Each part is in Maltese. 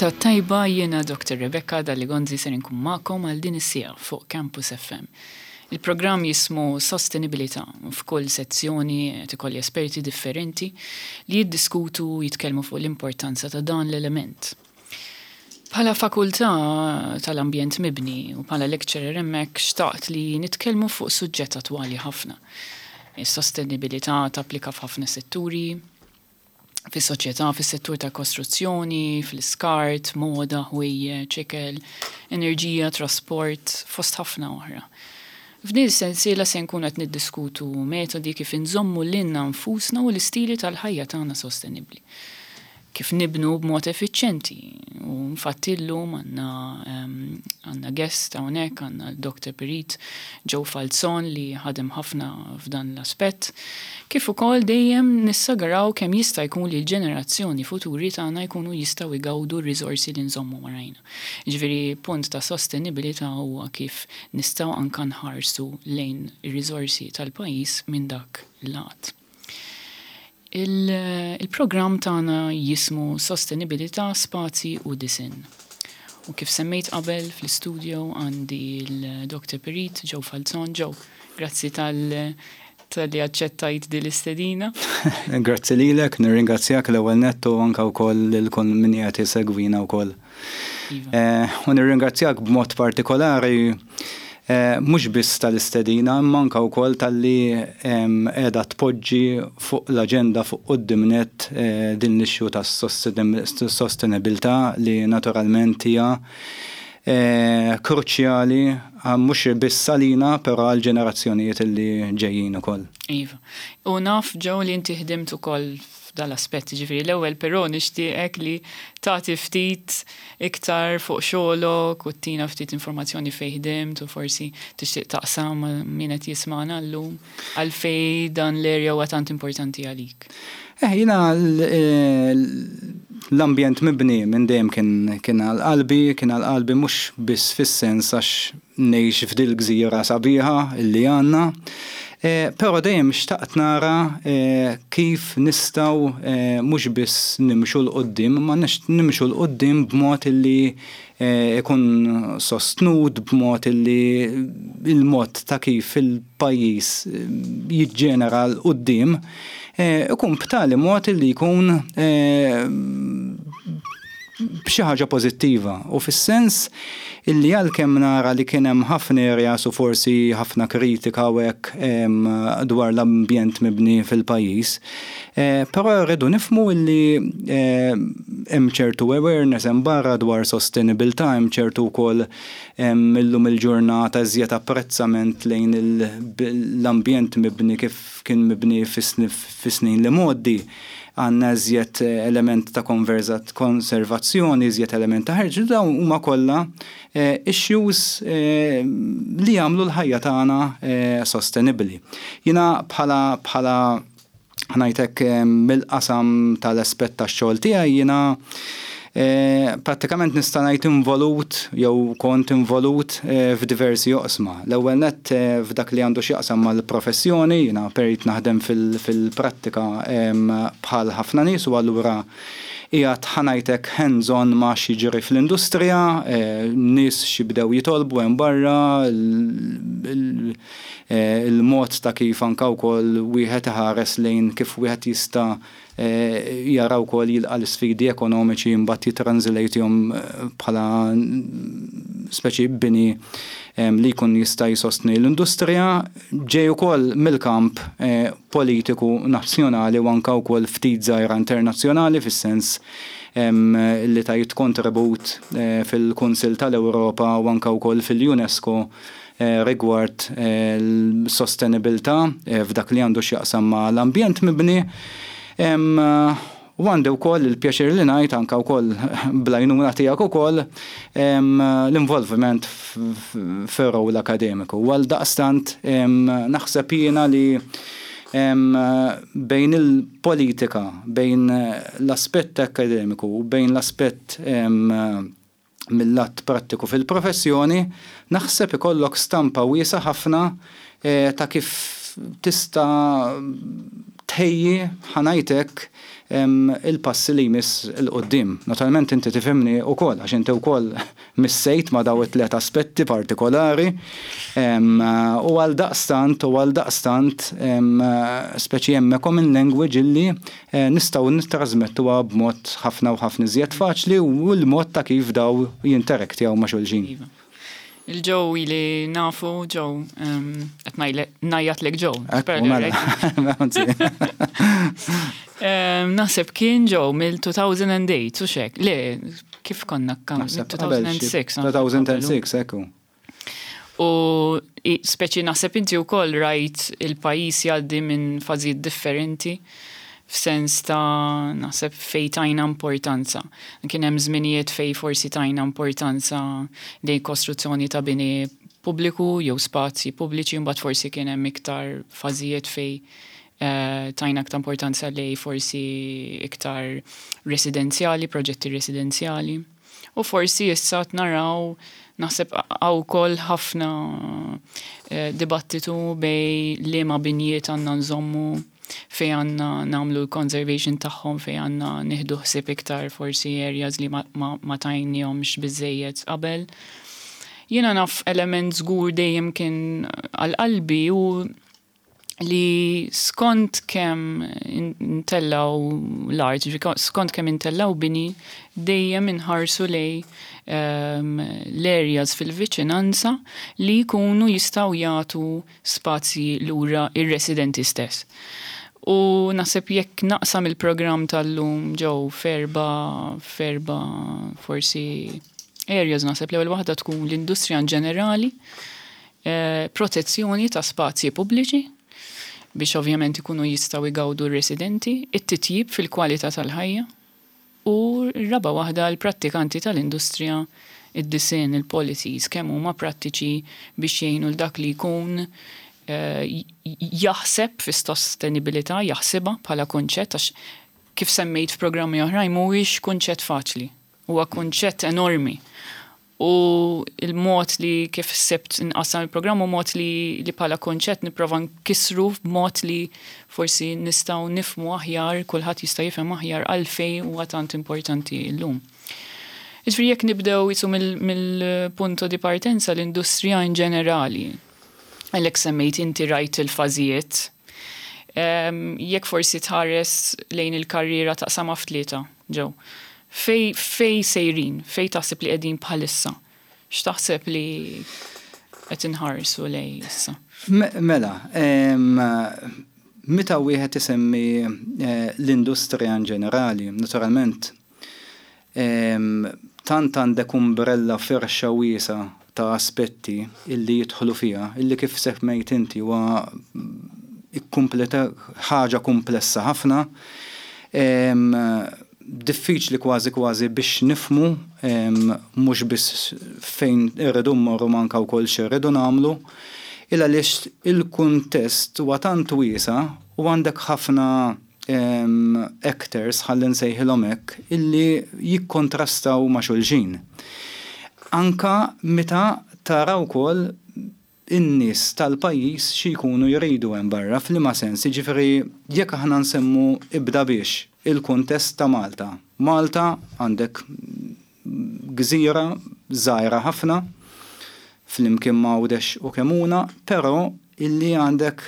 Il-ġurnata t-tajba jiena Dr. Rebecca Dalli Gonzi ser inkun magħkom għal din is-siegħa fuq Campus FM. Il-programm jismu Sostenibilità u f'kull sezzjoni qed ikolli esperti differenti li jiddiskutu u jitkellmu fuq l-importanza ta' dan l-element. Bħala fakultà tal-ambjent mibni u bħala lecturer hemmhekk xtaqt li nitkellmu fuq suġġett attwali ħafna. Is-sostenibilità tapplika f'ħafna setturi, fis-soċjetà, fis-settur tal-kostruzzjoni, fl-iskart, moda, ħwejjeġ, ikel, enerġija, trasport, fost ħafna oħra. F'din is-sensiela se nkunu qed niddiskutu metodi kif inżommu lilna nfusna u l-istili tal-ħajja tagħna sostenibbli. Kif nibnu b'mod effiċjenti. U infatti llum għandna għandna guest hawnhekk, għandna l-Dr. Perit Joe Falzon li ħadem ħafna f'dan l-aspett. Kif ukoll dejjem nissagaraw kemm jista' jkun li l-ġenerazzjoni futuri tagħna jkunu jistgħu jgawdu r-riżorsi li nżommu warajna. Jiġifieri punt ta' sostenibilità huwa kif nistgħu anke nħarsu lejn ir-riżorsi tal-pajjiż minn dak il-lat. Il-programm tagħna jismu Sostenibilità, Spazji u Disinn. U kif semmejt qabel fl-istudio għandi l-Dr. Perit Joe Falzon. Joe, grazzi tal talli aċċettajt din l-istedina. Grazzi lilek, nirringrazzjak l-ewwel nett u anke wkoll lil kull min qiegħed isegwina wkoll. Iva. U nirringrazzjak b'mod partikolari mhux biss tal-istedina imma anke wkoll talli qiegħda tpoġġi fuq l-aġenda fuq quddiem nett din l-issue tas-sostenibilità li naturalment hija kruċjali mhux biss għalina però għall-ġenerazzjonijiet li ġejjin ukoll. Iva. U naf Joe li inti ħdimt ukoll f'dal-aspett, jiġifieri l-ewwel però nixtieqek li tagħti ftit iktar fuq xogħlok u ttina ftit informazzjoni fejn ħdimt u forsi tixtieq taqsam ma' min qed jismagħna llum għalfejn dan l-area huwa tant importanti għalik. Eh, jiena l-ambjent mibni minn dejjem kien kien għal qalbi, kien għal qalbi mhux biss fis-sens għax ngħix f'dil-gżira sabiħa li għandna, però dejjem xtaqt nara kif nistgħu mhux biss nimxu 'l quddiem imma nimxu 'l quddiem b'mod li ikun sostnut, b'mod li l-mod ta' kif il-pajjiż jiġġenera 'l quddiem ikun b'tali mod li jkun b'xi ħaġa pożittiva u fis-sens illi għalkemm nara li kien hemm ħafna areas u forsi ħafna kritika u hekk dwar l-ambjent mibni fil-pajjiż, però rridu nifhmu illi hemm ċertu awareness hemm barra dwar sostenibilità, hemm ċertu wkoll illum il-ġurnata iżjed apprezzament lejn l-ambjent mibni kif kien mibni fis-snin l-imgħoddi. Għandna iżjed element ta' konservazzjoni, iżjed element ta' ħerġ, dawn huma kollha issues li jagħmlu l-ħajja tagħna sostenibbli. Jiena bħala bħala ħa ngħid hekk mill-qasam tal-aspett tax-xogħol tiegħi jiena Prattikament nista' ngħid involut jew kont involut f'diversi oqsma. L-ewwel nett f'dak li għandu x'jaqsam mal-professjoni, jiena perit naħdem fil-prattika bħal ħafna nies u allura qiegħed ħa ngħid hekk hands on ma' x'jiġri fl-industrija, nies x'jibdew jitolbu hemm barra, il-mod ta' kif anke wkoll wieħed iħares lejn kif wieħed jista' jara wkoll jilqa' l-isfidi ekonomiċi mbagħad jittranżlejtihom bħala speċi bini li jkun jista' jsostni l-industrija. Ġej ukoll mill-kamp politiku nazzjonali u anke wkoll ftit żgħira internazzjonali fis-sens li tajt kontribut fil-Kunsill tal-Ewropa u anke wkoll fil-UNESCO rigward l-sostenibilità f'dak li għandu x'jaqsam ma' l-ambjent mibni. U għandi wkoll il-pjaċir li ngħid anke wkoll bl-għajnuna tiegħek ukoll l-involviment fir-role akademiku. U għaldaqstant naħseb jiena li bejn il-politika, bejn l-aspett akademiku u bejn l-aspett mil-lat prattiku fil-professjoni, naħseb ikollok stampa wiesgħa ħafna ta' kif tista' tħejji, ħa ngħid hekk, il-passi li jmiss 'il quddiem. Naturalment inti tifhimni wkoll għax inti wkoll missejt ma' dawn it-tliet aspetti partikolari u għaldaqstant u għaldaqstant speċi hemm a common language illi nistgħu nittrażmettuha b'mod ħafna u ħafna iżjed faċli u l-mod ta' kif dawn jinteraktjaw ma' xulxin. Iva. Il-Joe ili nafu, Joe, qed ngħajjatlek Joe. Ekku, mela. Naħseb kien Joe mill-2008, u xek. Le, kif konna kam? 2006. 2006, ekku. U speċi naħseb inti wkoll rajt il-pajjiż jgħaddi minn fażijiet differenti f'sens ta' naħseb fejn tajna importanza. Kien hemm żminijiet fejn forsi tajna importanza lejn kostruzzjoni ta' bini pubbliku jew spazji pubbliċi, mbagħad forsi kien hemm iktar fażijiet fejn tajna iktar importanza lejn forsi iktar residenzjali, proġetti residenzjali. U forsi issa naraw naħseb hawn ukoll ħafna dibattitu bejn liema binjiet għandna nżommu, fejn għandna nagħmlu l-conservation tagħhom, fejn għandna nieħdu ħsieb iktar forsi areas li ma tajnihomx biżejjed qabel. Jiena naf element żgur dejjem kien għal qalbi u li skont kemm intellaw l-art, skont kemm intellaw bini, dejjem inħarsu lejn l-areas fil-viċinanza li jkunu jistgħu jagħtu spazji lura ir-residenti stess. U naħseb jekk naqsam il-programm tal-lum ġew f'erba' forsi areas, naħseb l-ewwel waħda tkun l-industrija in ġenerali, protezzjoni ta' spazji pubbliċi biex ovvjament ikunu jistgħu jgawdu r-residenti, it-titjib fil-kwalità tal-ħajja u r-raba' waħda l-prattikanti tal-industrija, id-disinn, il-policies, kemm huma prattiċi biex jgħinu l dak li jkun jaħseb fis-sostenibilità, jaħsibha bħala kunċett, għax kif semmejt f'programmi oħrajn mhuwiex kunċett faċli, huwa kunċett enormi. U il-mod li kif sibt nqassam il-programm u mod li bħala kunċett nipprova nkissru b'mod li forsi nistgħu nifhmu aħjar, kulħadd jista' jifhem aħjar għalfejn huwa tant importanti llum. Jiġifieri jekk nibdew jisu mill-punto di partenza l-industrija in ġenerali, għalhekk semmejt inti rajt il-fażijiet, jekk forsi tħares lejn il-karriera taqsamha f'tlieta, Joe. Fejn sejrin, fejn taħseb li qegħdin bħalissa? X'taħseb li qed inħarsu lejn issa? Mela, meta wieħed isemmi l-industrija in ġenerali, naturalment, tant għandek umbrella firxa wiesa ta' aspetti illi jidħlu fiha, illi kif semmejt inti huwa ħaġa komplessa ħafna, diffiċli kważi kważi biex nifhmu mhux biss fejn irridu mmorru manka wkoll x'irridu nagħmlu, il għaliex il-kuntest huwa tant wiesa u għandek ħafna actors, ħalli nsejħilhom hekk, illi jikkontrastaw ma' xulxin. Anka meta tara wkoll in-nies tal-pajjiż xi jkunu jridu hemm barra, f'liema sens, jiġifieri jekk aħna nsemmu ibda biex il-kuntest ta' Malta. Malta għandek gżira żgħira ħafna flimkien ma' Għawdex u Kemuna, però illi għandek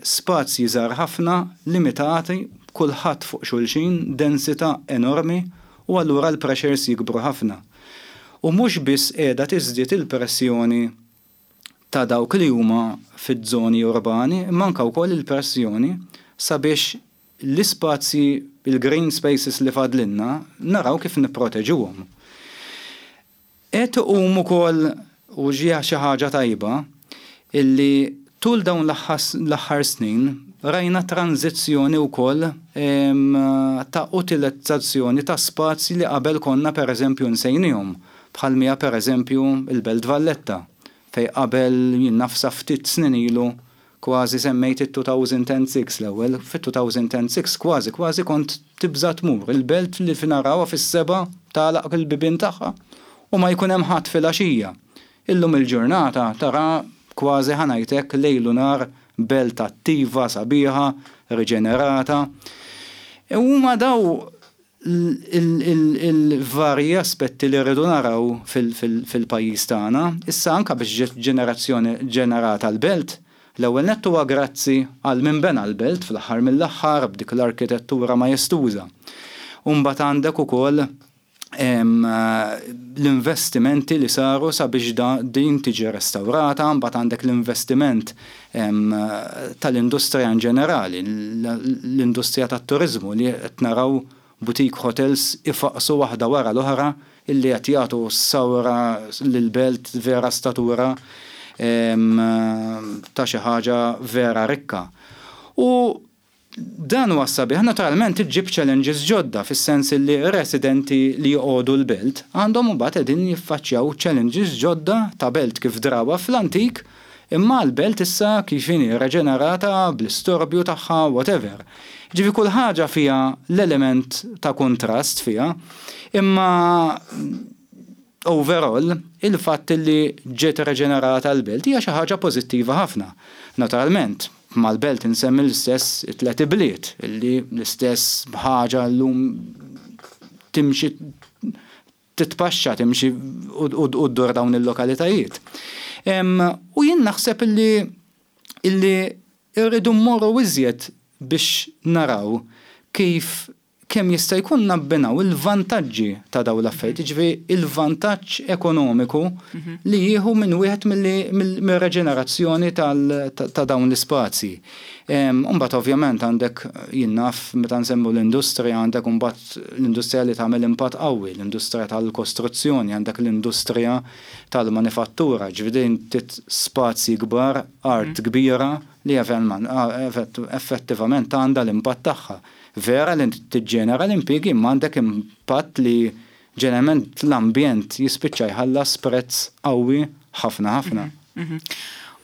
spazji żgħar ħafna, limitati, kulħadd fuq xulxin, densità enormi, u allura l-pressures jikbru ħafna. U mhux biss qiegħda tiżdied il-pressjoni ta' dawk li huma fiż-żoni urbani, imma anke wkoll il-pressjoni sabiex l-ispazji, il-green spaces li fadlinna, naraw kif nipproteġuhom. Qed iqum ukoll, u ġie xi ħaġa tajba, illi tul dawn l-aħħar snin rajna tranzizzjoni wkoll ta' utilizzazzjoni ta' spazji li qabel konna pereżempju nsejnihom, bħal mija pereżempju il-Belt Valletta, fejn qabel jien naf sa ftit snin ilu kważi semmejt it-2006 l-ewwel, fit-2006 kważi kważi kont tibża' tmur il-belt li narawha fis-7 tagħlaq il-bibien tagħha u ma jkun hemm ħadd filgħaxija. Illum il-ġurnata tara kważi ħa ngħid hekk lejl u nhar belt attiva, sabiħa, riġenerata. Huma daw il-varji aspetti li rridu naraw fil-pajjiż tagħna. Issa anke biex ġiet ġenerazzjoni ġenerata l-belt, l-ewwel nett huwa grazzi għal min bena l-belt fl-aħħar mill-aħħar b'dik l-arkitettura majestuża. U mbagħad għandek ukoll l-investimenti li saru sabiex din tiġi restawrata, mbagħad għandek l-investiment tal-industrija in ġenerali, l-industrija tat-turiżmu li qed naraw boutique hotels ifaqqsu waħda wara l-oħra illi qed jagħtu sawra lill-belt vera statura ta' xi ħaġa vera rikka. U Dan huwa s-sabiħ. Naturalment iġġib challenges ġodda fis-sens illi residenti li joqogħdu l-belt għandhom imbagħad qegħdin jiffaċċjaw challenges ġodda ta' belt kif drawha fl-antik imma l-belt issa kif inhi reġenerata bl-istorbju tagħha whatever. Jiġifieri kull ħaġa fiha l-element ta' kuntrast fiha imma overall il-fatt illi ġiet reġenerata l-belt hija xi ħaġa pożittiva ħafna. Naturalment, Mal-belt insemmi l-istess it-tlet ibliet, illi l-istess ħaġa llum timxi titpaxxa timxi u ddur dawn il-lokalitajiet. U jien naħseb illi illi rridu mmorru iżjed biex naraw kif kemm jista' jkun nabbinaw il-vantaġġi ta' dawn l-affarijiet, jiġifieri il-vantaġġ ekonomiku li jieħu minn wieħed mir-reġenerazzjoni ta' dawn l-ispazji. Imbagħad ovvjament għandek, jien naf, meta nsemmu l-industrija għandek imbagħad l-industrija li tagħmel impatt qawwi, l-industrija tal-kostruzzjoni, għandek l-industrija tal-manifattura, jiġifieri din trid spazji kbar, art kbira li effettivament għandha l-impatt tagħha. Vera li tiġġenera l-impjiegi imma għandek impatt li ġeneralment l-ambjent jispiċċa jħallas prezz qawwi ħafna ħafna.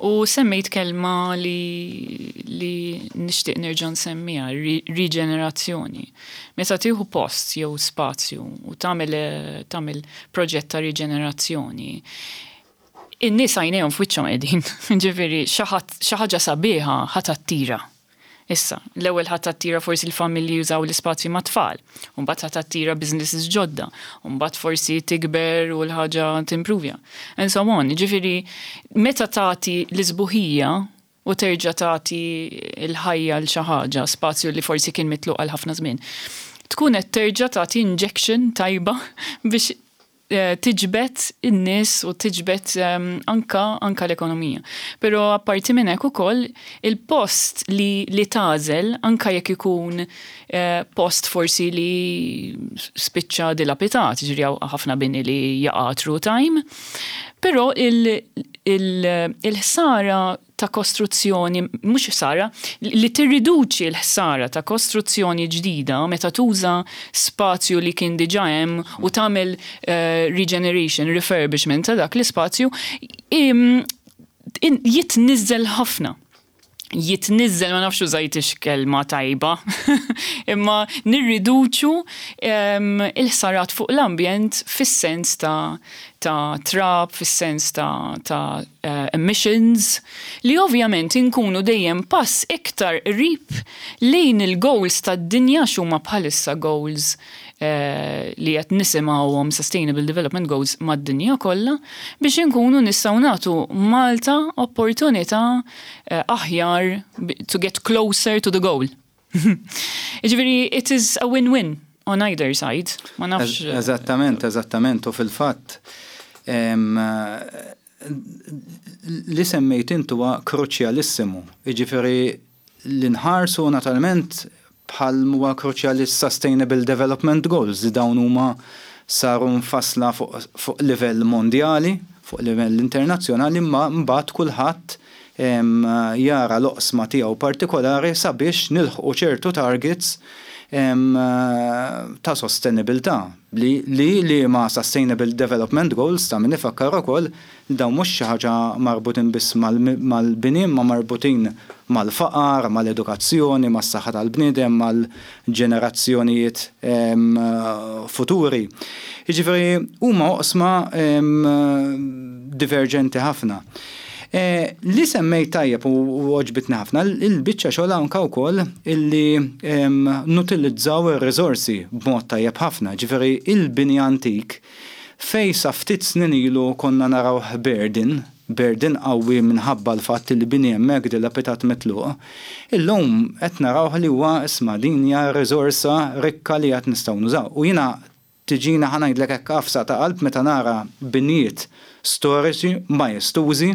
U semmejt kelma li li nixtieq nerġa' nsemmiha, riġenerazzjoni. Meta tieħu post jew spazju u tagħmel tagħmel proġett ta' riġenerazzjoni, in-nies għajnejhom f'wiċċhom qegħdin. Ġifieri xi ħaġa sabiħa ħa tattira. Issa, l-ewwel ħa tattira forsi l-familji jużaw l-ispazji mat-tfal, u mbagħad ħa tattira businesses ġodda, u mbagħad forsi tikber u l-ħaġa timpruvja. And so on. Jiġifieri, meta tagħti l-isbuħija u terġa' tagħti l-ħajja 'l xi ħaġa, spazju li forsi kien mitluq għal ħafna żmien, tkun qed terġa' tagħti injection tajba biex tiġbed in-nies u tiġbed anka anka l-ekonomija. Però apparti minn hekk ukoll il-post li li tagħżel anka jekk ikun post forsi li spiċċa dilapitat, jiġifieri hawn ħafna bini li jaqa' through time, però il-ħsara ta' kostruzzjoni, mhux ħsara, li tirriduċi l-ħsara ta' kostruzzjoni ġdida meta tuża spazju li kien diġà hemm u tagħmel regeneration, refurbishment ta' dak l-ispazju, jitniżżel ħafna. Jitniżżel, ma nafx użajtix kelma tajba, imma nirriduċu il-ħsarat fuq l-ambjent fis-sens ta' ta' trab, fis-sens ta' ta' emissions, li ovvjament inkunu dejjem pass iktar qrib lejn il-goals tad-dinja għax huma bħalissa goals li qed nisimgħuhom Sustainable Development Goals mad-dinja kollha biex inkunu nistgħu nagħtu Malta opportunità aħjar to get closer to the goal. Jiġifieri it is a win-win on either side. Ma nafx. Eżattament, eżattament u fil-fatt li semmejt int huwa kruċjalissimu. Jiġifieri li nħarsu naturalment bħal huwa kruċjali s-Sustainable Development Goals li dawn huma saru mfassla fuq livell mondjali, fuq livell internazzjonali, imma mbagħad kulħadd jara l-oqsma tiegħu partikolari sabiex nilħqu ċertu targets ta' sostenibilità li li liema Sustainable Development Goals ta' min ifakkar ukoll li dawn mhux xi ħaġa marbutin biss mal-bini imma marbutin mal-faqar, mal-edukazzjoni, mas-saħħa tal-bniedem, mal-ġenerazzjonijiet futuri. Jiġifieri huma oqsma diverġenti ħafna. Li semmejt tajjeb u għoġbitni ħafna, il-biċċa xogħol anke wkoll illi nutilizzaw ir-riżorsi b'mod tajjeb ħafna, ġifieri il-bini antik fejn sa ftit snin ilu konna narawh burden, burden qawwi minħabba l-fatt li bini hemmhekk dilapidat mitluq, illum qed narawh li huwa isma' din hija riżorsa rikka li għad nistgħu nużaw. U jiena Tiġina, ħa ngħidlek hekk, għafsa ta' qalb meta nara binjiet storiċi majestużi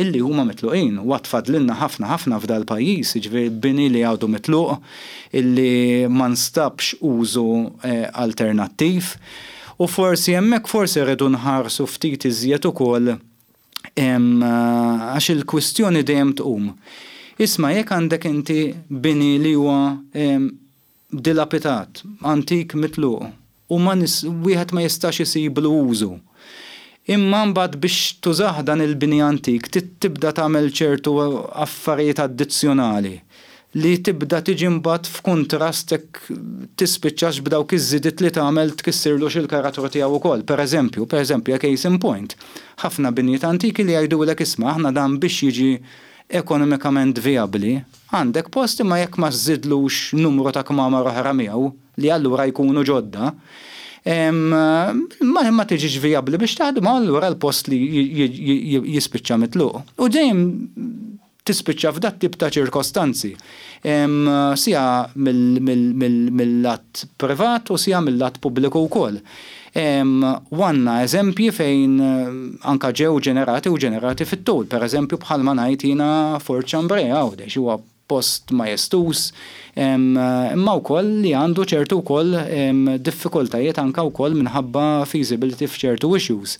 illi huma mitluqin. U għad fadlilna ħafna ħafna f'dal-pajjiż, jiġifieri bini li għadu mitluq, illi ma nstabx użu alternattiv. U forsi hemmhekk forsi rridu nħarsu ftit iżjed ukoll għax il-kwistjoni dejjem tqum. Isma' jekk għandek inti bini li huwa dilapitat, antik mitluq u ma wieħed ma jistax isiblu użu. Imma mbagħad biex tużah dan il-bini antik trid tibda tagħmel ċertu affarijiet addizzjonali li tibda tiġi mbagħad f'kuntrast jekk tispiċċax b'dawk iż-żidiet li tagħmel tkissirlux il-karattru tiegħu wkoll. Pereżempju, pereżempju, a case in point, ħafna binjiet antiki li jgħidulek isma' aħna dan biex jiġi ekonomikament vijabbli, Għandek post imma jekk ma żżidlux numru ta' kmamar oħra miegħu, li allura jkunu ġodda, ma ma tiġix vijabbli biex taħdem u allura l-post li jispiċċa mitluq. U dejjem tispiċċa f'dat-tip ta' ċirkostanzi, sia mill-lat privat u sia mill-lat pubbliku wkoll. U għandna eżempji fejn anke ġew ġenerati u ġenerati fit-tul. Per eżempju bħalma ngħid jiena Fort Chambray Għawdex huwa post majestuż imma wkoll li għandu ċertu wkoll diffikultajiet anke wkoll minħabba feasibility f'ċertu issues.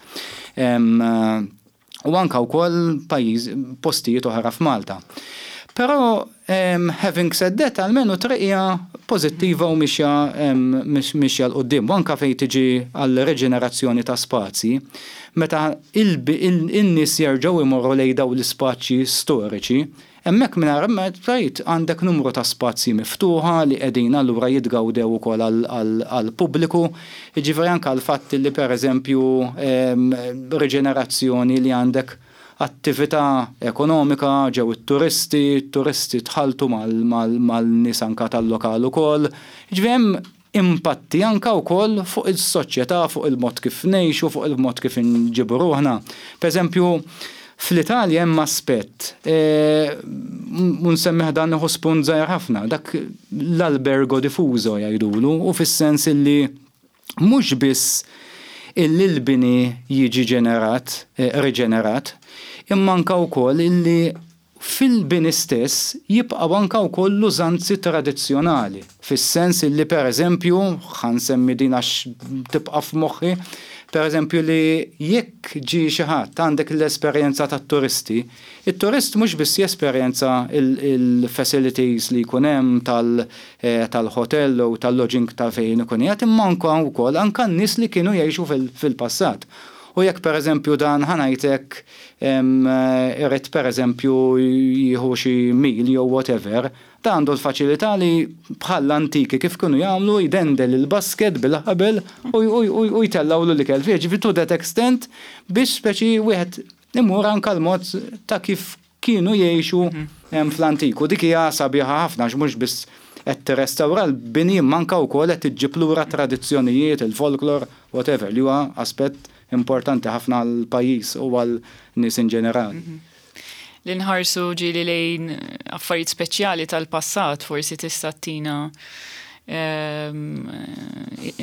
U anke wkoll pajjiż postijiet oħra f'Malta. Però having said that, almenu triq hija pożittiva u mixja mixja 'l quddiem. U anke fejn tiġi għal reġenerazzjoni ta' spazji, meta in-nies jerġgħu jmorru lejn dawn l-ispazji storiċi, Hemmhekk mingħajr ma tgħid għandek numru ta' spazji miftuħa li qegħdin allura jitgawdew ukoll għall-pubbliku. Jiġifieri anke l-fatt li pereżempju riġenerazzjoni li għandek attività ekonomika, ġew it-turisti, it-turisti tħalltu mal-nies anke tal-lokal ukoll. Jiġifieri hemm impatti anke wkoll fuq is-soċjetà, fuq il-mod kif ngħixu, fuq il-mod kif inġibu ruħna. Pereżempju, fl-Italja hemm aspett, u nsemmih dan nieħu spunt żgħir ħafna, dak l-albergo diffuso jgħidulu, u fis-sens illi mhux biss illi l-bini jiġi ġenerat, riġenerat, imma anke wkoll illi Fil-bini stess jibqgħu anke wkoll l-użanzi tradizzjonali, fis-sens illi per eżempju, ħa nsemmi din għax tibqa' f'moħħi, per eżempju li jekk ġie xi ħadd, għandek l-esperjenza tat-turisti, it-turist mhux biss jesperjenza l-facilities li jkun hemm tal-hotel jew tal-lodging ta' fejn ikun qiegħed imma anke wkoll anke n-nies li kienu jgħixu fil-passat. U jekk per eżempju dan ħa ngħid hekk irid pereżempju jieħu xi meal jew whatever, dan għandu l-faċilità li bħall-antiki kif kienu jagħmlu jdendel il-basket bil-ħabel u jtellgħulu l-ikel fih. Ġifieri to that extent biex speċi wieħed imur anke l-mod ta' kif kienu jgħixu fl-antik. U dik hija sabiħa ħafna għax mhux biss qed tirrestawra l-bini imma anke wkoll qed iġġib lura t-tradizzjonijiet, il-folklor, whatever, li huwa aspett importanti ħafna għall-pajjiż u għal nies in ġenerali. Li nħarsu ġieli lejn affarijiet speċjali tal-passat forsi tista' ttina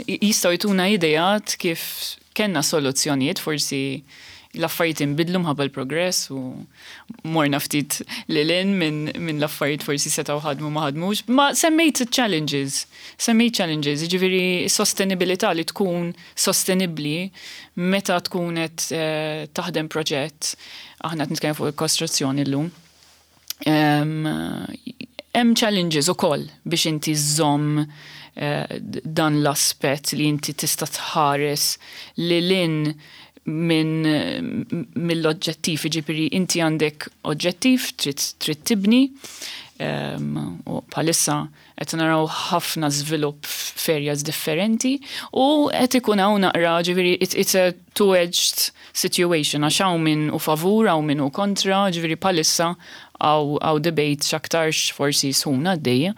jistgħu jtuna ideat kif kellna soluzzjonijiet forsi l-affarijiet inbidlu mħabba l-progress u morna ftit lil hinn minn l-affarijiet forsi setgħu ħadmu ma ħadmux. Ma semmejt challenges, semmejt challenges, jiġifieri sostenibilità li tkun sostenibbli meta tkun qed eh, taħdem proġett, aħna qed nitkellem fuq il-kostruzzjoni llum. Hemm challenges ukoll biex inti żżomm eh, dan l-aspett li inti tista' tħares lil hinn minn mill-oġġettiv, jiġifieri inti għandek oġġettiv trid trid tibni u bħalissa qed naraw ħafna żvilupp f'areas differenti u qed ikun hawn naqra ġifieri it's a two-edged situation għax hawn min hu favur hawn min hu kontra, ġifieri bħalissa hawn debate x'aktarx forsi sħuna għaddejja.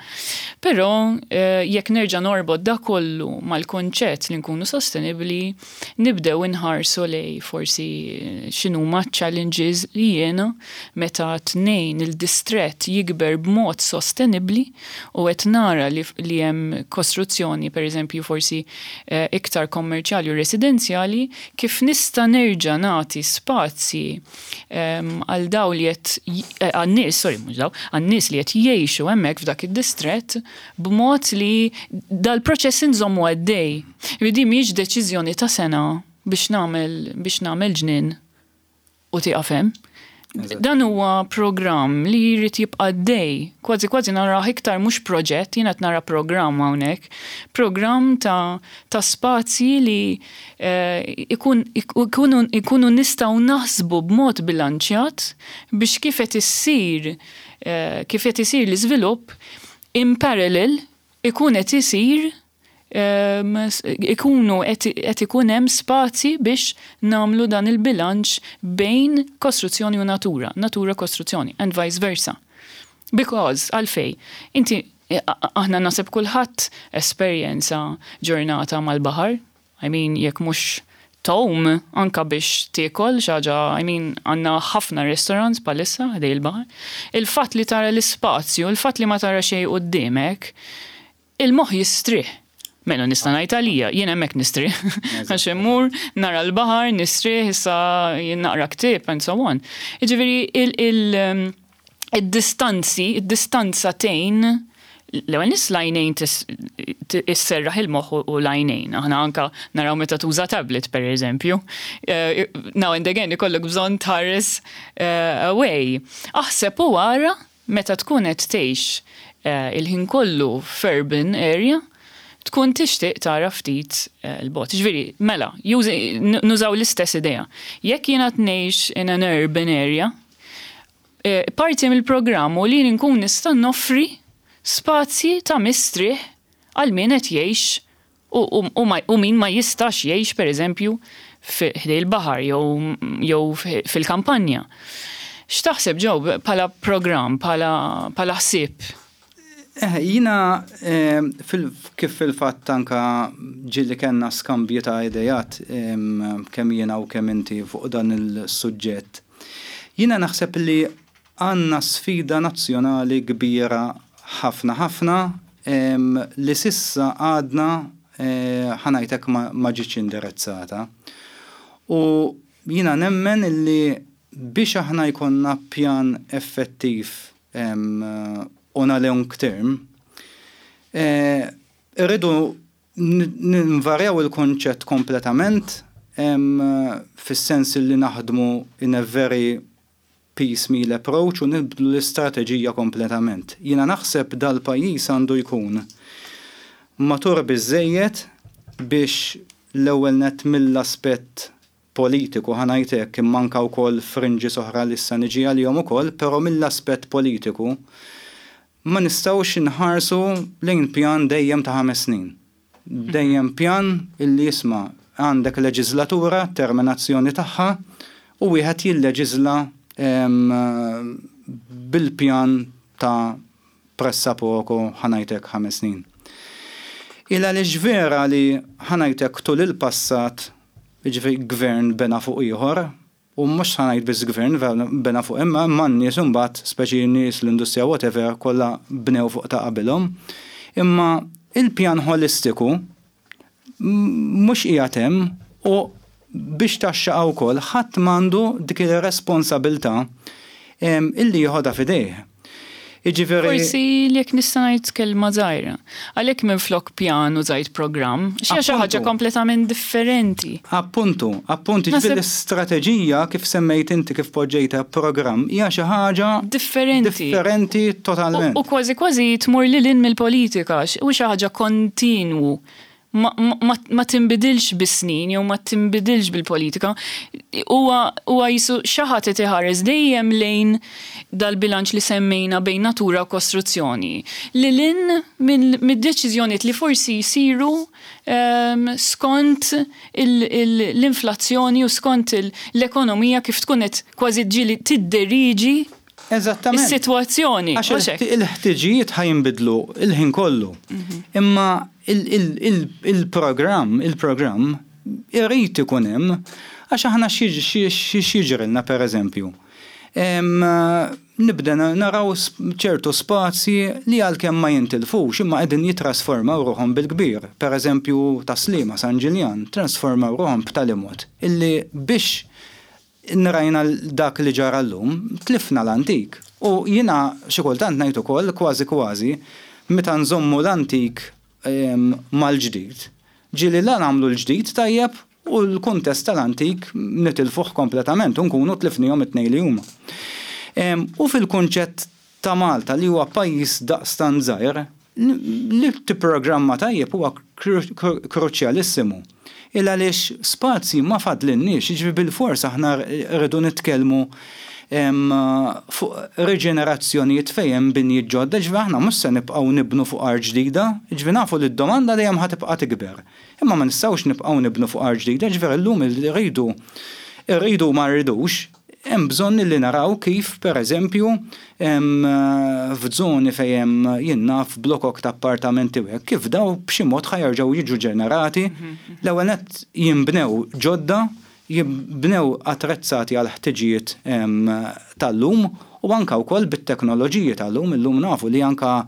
Però jekk nerġa' norbot dak kollu mal-kunċett li nkunu sostenibbli, nibdew inħarsu lejn forsi x'inhuma ċ-challenges li jiena meta tnejn il-distrett jikber b'mod sostenibbli u qed nara li li hemm kostruzzjoni pereżempju forsi iktar kommerċjali u residenzjali, kif nista' nerġa' nagħti spazji għal daw li qed għan-nies, sorry mhux daw, għan-nies li qed jgħixu hemmhekk f'dak id-distrett b'mod li dal-proċess inżommu għaddej. Din mhijiex deċiżjoni ta' sena biex nagħmel biex nagħmel ġnien u tieqaf hemm. Dan huwa programm li jrid jibqa' għaddej. Kważi kważi narah iktar mhux proġett, jien qed nara programm hawnhekk. Programm ta' ta' spazji li ikun ikunu ikunu nistgħu naħsbu b'mod bilanċjat biex kif qed issir kif qed isir l-iżvilupp in parallel ikun qed isir ikunu qed ikun hemm spazji biex nagħmlu dan il-bilanċ bejn kostruzzjoni u natura, natura kostruzzjoni and vice versa. Because, għalfejn? Inti, aħna naħseb kulħadd esperjenza ġurnata mal-baħar, I mean, jekk mhux tgħum, anka biex tiekol xi ħaġa, I mean, għandna ħafna restaurants bħalissa ħdej il-baħar. Il-fatt li tara l-ispazju, il-fatt li ma tara xejn quddiemek, il-moħħ jistrieħ. Mela nista' ngħid għalija, jien hemmhekk nistrieħ. Għax immur, nara l-baħar, nistrieħ, issa jien naqra ktieb and so on. Jiġifieri id-distanzi, id-distanza tgħin l-ewwel nies l-għajnejn isserraħ il-moħħ u l-għajnejn. Aħna anka naraw meta tuża tablet pereżempju. Now and again ikollok bżonn tħares away. Aħseb u ara Meta tkun qed tgħix il-ħin kollu f'urban area, tkun tixtieq tara ftit 'l bogħod. Jiġifieri, mela, nużaw l-istess idea. Jekk jien qed ngħix in an urban area, parti mill-programm hu li nkun nista' noffri spazji ta' mistrieħ għal min qed jgħix U min ma jistax jgħix pereżempju ħdej il-baħar jew fil-kampanja. X'taħseb Joe bħala programm, bħala ħsieb? Jiena kif fil-fatt anke ġieli kellna skambji ta' ideat kemm jiena u kemm inti fuq dan is-suġġett. Jiena naħseb li Għandna sfida nazzjonali kbira ħafna ħafna li s'issa għadna, ħa ngħid hekk, ma ġietx indirizzata. U jiena nemmen li biex aħna jkollna pjan effettiv on a long term, irridu ninvarjaw il-kunċett kompletament fis-sens li naħdmu in a very piecemeal approach u nibdlu l-istrateġija kompletament. Jiena naħseb dal-pajjiż għandu jkun matur biżżejjed biex l-ewwel nett mill-aspett politiku, ħa ngħid hekk, imma anke wkoll fringes oħra li issa niġi għalihom ukoll, però mill-aspett politiku ma nistgħux inħarsu lejn pjan dejjem ta' ħames snin. Dejjem pjan illi isma' għandek leġiżlatura, terminazzjoni tagħha u wieħed jilleġiżla bil-pjan ta' pressapoko ħa ngħid hekk ħames snin. Il għaliex vera li ħa ngħid hekk tul il-passat, jiġifieri gvern bena fuq ieħor, U mhux ħa ngħid biss gvern bena fuq imma imma n-nies imbagħad, speċi n-nies, l-industrija whatever, kollha bnew fuq ta' qabilhom. Imma il-pjan ħolistiku mhux qiegħed hemm u biex tgħaxxaqha wkoll ħadd m'għandu dik ir-responsabilità illi jieħodha f'idejh. Jiġifieri. Forsi jekk nista' ngħid kelma żgħira. Għalhekk minflok pjan użajt programm, xi xi ħaġa kompletament differenti. Appuntu, appuntu, jiġifieri l-istrateġija kif semmejt inti kif poġġejtha programm hija xi ħaġa differenti. Differenti totalment. U kważi kważi tmur lil hinn mill-politika, u xi ħaġa kontinwu. Ma tinbidilx bis-snin jew ma tinbidilx bil-politika. Huwa huwa qisu xi ħadd qed iħares dejjem lejn dal-bilanċ li semmejna bejn natura u kostruzzjoni, lil hinn mid-deċiżjonijiet li forsi jsiru skont l-inflazzjoni u skont l-ekonomija kif tkun qed kważi ġieli tidderiġi is-sitwazzjoni. Għax il-ħtiġijiet ħa jinbidlu l-ħin kollu. Imma il-programm, il-programm irid ikun hemm għax aħna x'jiġrilna pereżempju. Nibda naraw ċertu spazji li għalkemm ma jintilfux imma qegħdin jittrasformaw ruħhom bil-kbir. Pereżempju Tas-Sliema, San Ġiljan, trasformaw ruħhom b'tali mod illi biex rajna dak li ġara llum, tlifna l-antik. U jiena xi kultant ngħid ukoll kważi kważi meta nżommu l-antik mal-ġdid, ġieli la nagħmlu l-ġdid tajjeb u l-kuntest tal-antik nitilfuh kompletament u nkunu tlifnihom it-tnejn li huma. U fil-kunċett ta' Malta li huwa pajjiż daqstant żgħir, li tipprogramma tajjeb huwa kruċjalissimu. Il għaliex spazji ma fadlilniex, jiġifieri bilfors aħna rridu nitkellmu fuq riġenerazzjonijiet fejn hemm binjiet ġodda, jiġifieri aħna mhux se nibqgħu nibnu fuq art ġdida, jiġifieri nafu li d-domanda dejjem ħa tibqa' tikber. Imma ma nistgħux nibqgħu nibnu fuq art ġdida, jiġifieri llum irridu, irridu u ma rridux, hemm bżonn li naraw kif pereżempju f'żoni fejn hemm jien naf blokok ta' appartamenti u hekk, kif dawn b'xi mod ħa jerġgħu jiġu ġenerati, l-ewwel nett jinbnew ġodda, jinbnew attrezzati għall-ħtiġijiet tal-lum u anke wkoll bit-teknoloġiji tal-lum, illum nafu li anke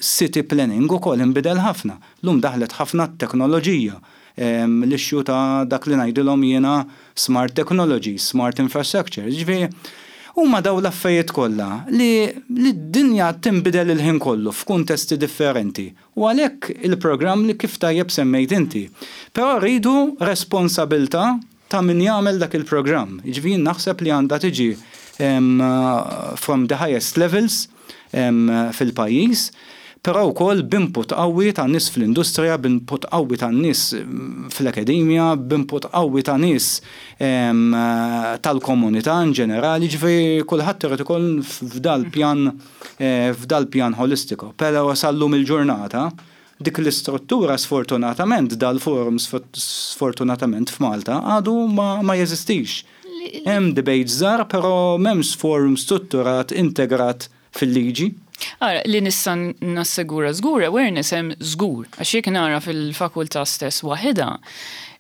City planning ukoll inbidel ħafna. Llum daħlet ħafna t-teknoloġija, l-issue ta' dak li ngħidilhom jiena smart technologies, smart infrastructure. Jiġifieri huma dawn l-affarijiet kollha li d-dinja tinbidel il-ħin kollu f'kuntesti differenti. U għalhekk il-programm li kif tajjeb semmejt inti. Però rridu responsabilità ta' min jagħmel dak il-programm. Jiġifieri jien naħseb li għandha tiġi from the highest levels fil-pajjiż, però wkoll b'input qawwi ta' nies fl-industrija, b'input qawwi ta' nies fl-akademja, b'input qawwi ta' nies tal-komunità in ġenerali, jiġifieri kulħadd irid ikun f'dal-pjan f'dal-pjan ħolistiku. Però sal-lum il-ġurnata Dik l-istruttura sfortunatament, dal-forum sfortunatament f'Malta għadu ma jeżistix. Hemm debates żgħar però m'hemmx forum strutturat integrat fil-liġi. Ara, li nista' nassegura żgur awareness hemm żgur. Għax jekk nara fil-fakultà stess waħedha,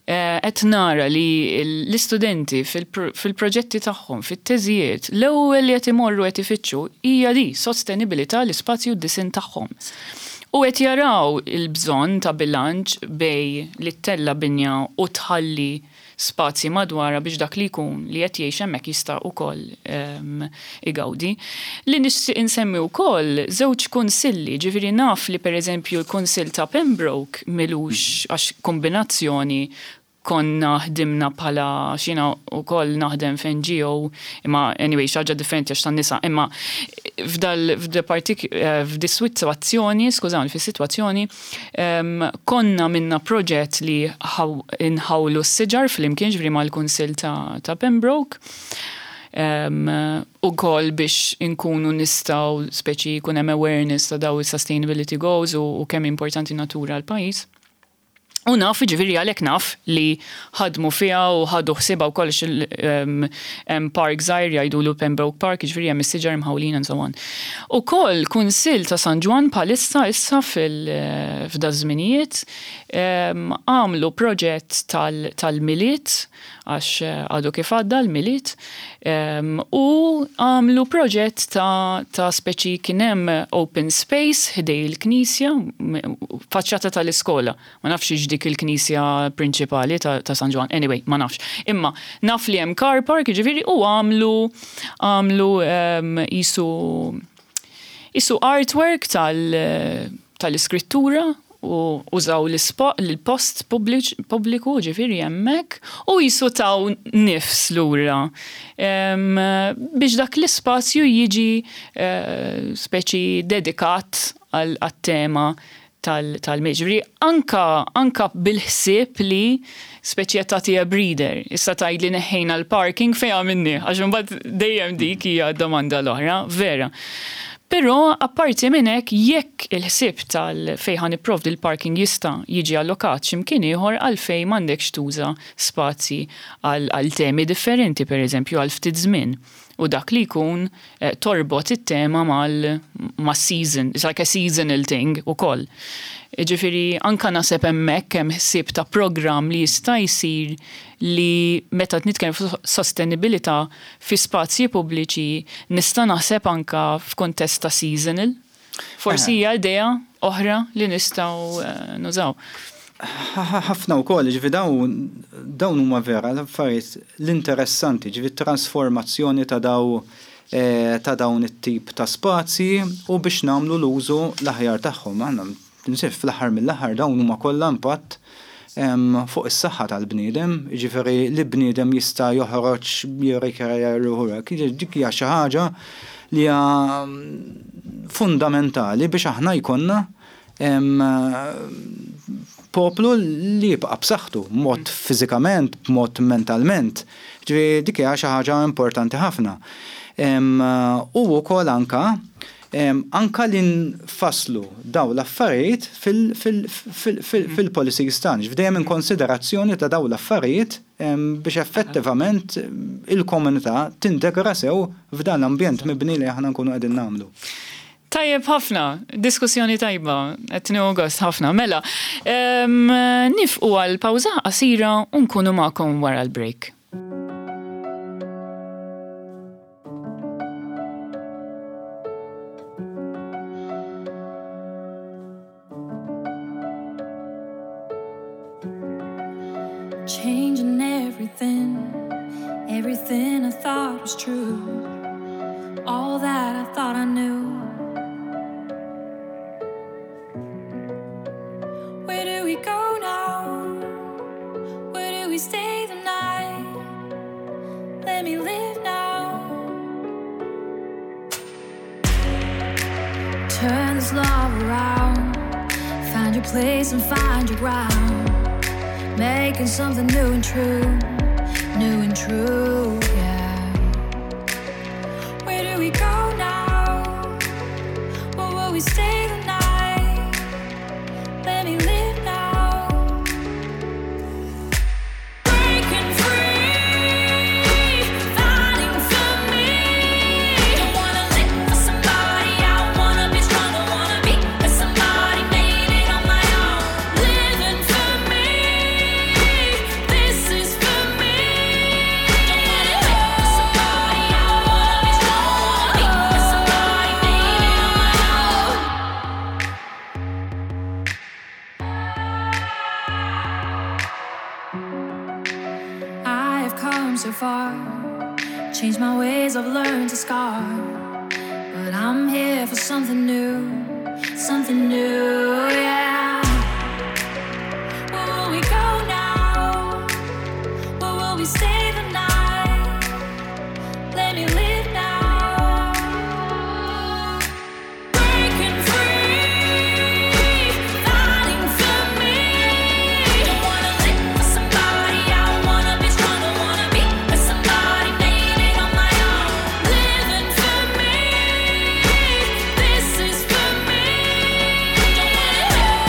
Qed nara li l-istudenti fil-proġetti tagħhom, fit-teżijiet, l-ewwel li qed imorru qed ifittxu hija di, sostenibilità l-ispazju u d-disinn tagħhom. U qed jaraw il-bżonn ta' bilanċ bejn li ttella' binja u tħalli spazji madwarha biex dak li jkun li qed jgħix hemmhekk jista' wkoll igawdi. Li nixtieq insemmi wkoll żewġ kunsilli, ġifieri naf li pereżempju l-Kunsill ta' Pembroke m'ilux għax kombinazzjoni konna ħdimna bħala għax jiena wkoll naħdem f'NGO imma anyway xi ħaġa differenti għax tan-nisa imma f'dal f'dis-sitwazzjoni, skużawni, fis-sitwazzjoni konna għamilna proġett li nħawlu s-siġar flimkien ġifieri mal-Kunsill ta' Pembroke. Ukoll biex inkunu nistgħu speċi jkun hemm awareness ta' daw is-sustainability goals u kemm importanti natura għall-pajjiż. U naf, jiġifieri għalhekk naf li ħadmu fiha u ħadu ħsiebha wkoll għax hemm park żgħir jgħidulu Pembroke Park, jiġifieri hemm is-siġar imħawlin and so on. Ukoll Kunsill ta' San Ġwann bħalissa issa f'daż-żminijiet għamlu proġett tal-Milied għax għadu kif għadda l-Milied, u għamlu proġett ta' ta' speċi kien hemm open space ħdej il-knisja, faċċata tal-iskola, ma nafx hix dik il-knisja prinċipali ta' ta' San Ġwann, anyway, ma nafx. Imma naf li hemm car park, jiġifieri, u għamlu għamlu qisu qisu artwork tal tal-iskrittura u użaw l-post pubbliku, ġifieri hemmhekk, u qisu taw nifs lura biex dak l-ispazju jiġi speċi dedikat għat-tema tal-Milied. Ġifieri anka anka bil-ħsieb li speċi qed tagħtiha breather. Issa tgħidli neħħejna l-parking fejn għamilnieh għax imbagħad dejjem dik hija d-domanda l-oħra, vera. Però apparti minn hekk jekk il-ħsieb tal fejn ħa nipprovdi l-parking jista' jiġi allokat xi mkien ieħor għalfejn m'għandekx tuża spazji għal temi differenti pereżempju għal ftit żmien u dak li jkun torbot it-tema mal mas-season, it's like a seasonal thing ukoll. Jiġifieri anke naħseb hemmhekk hemm ħsieb ta' programm li jista' jsir li meta qed nitkellem fuq sostenibilità fi spazji pubbliċi nista' naħseb anke f'kuntest ta' seasonal. Forsi hija idea oħra li nistgħu nużaw. Ħafna wkoll, ġifi dawn dawn huma vera l-affarijiet l-interessanti, ġifi trasformazzjoni ta' daw eh, ta' dawn it-tip ta' spazji u biex nagħmlu l-użu l-aħjar tagħhom. Aħna tinsiex fl-aħħar mill-aħħar dawn huma kollha impatt fuq is-saħħa tal-bniedem, jiġifieri li bniedem jista' joħroġ jirrikreja ruħu hekk. Dik hija xi ħaġa li hija fundamentali biex aħna jkollna poplu li jibqa' b'saħħtu, b'mod fiżikament, b'mod mentalment. Ġifieri dik hija xi ħaġa importanti ħafna. U wkoll anka anka li nfasslu dawn l-affarijiet fil-policies tagħna, ġifieri dejjem in konsiderazzjoni ta' dawn l-affarijiet biex effettivament il-komunità tintegra sew f'dan l-ambjent mibni li aħna nkunu qegħdin nagħmlu. Tajjeb ħafna, diskussjoni tajba, qed nieħu gost ħafna. Mela, nifqu għal pawża qasira u nkunu magħkom wara l-break. Changing everything, everything I thought was true, all that I thought I knew. Where do we go now? Where do we stay the night? Let me live now. Turn this love around. Find your place and find your ground. Making something new and true, new and true, yeah. Where do we go now? Where will we stay the night? Let me live now. Breaking free, fighting for me. Don't wanna live for somebody. I wanna be strong. Don't wanna be with somebody. Made it on my own. Living for me. This is for me. Don't wanna live for somebody. I wanna be strong. Wanna be with somebody. Made it on my own. I have come so far, changed my ways, I've learned to scar. But I'm here for something new, something new, yeah. Where will we go now? Where will we stay the night? Let me live now. Breaking free, fighting for me. Don't wanna live for somebody. I wanna be strong. Don't wanna be with somebody. Made it on my own. Living for me. This is for me. Don't wanna live for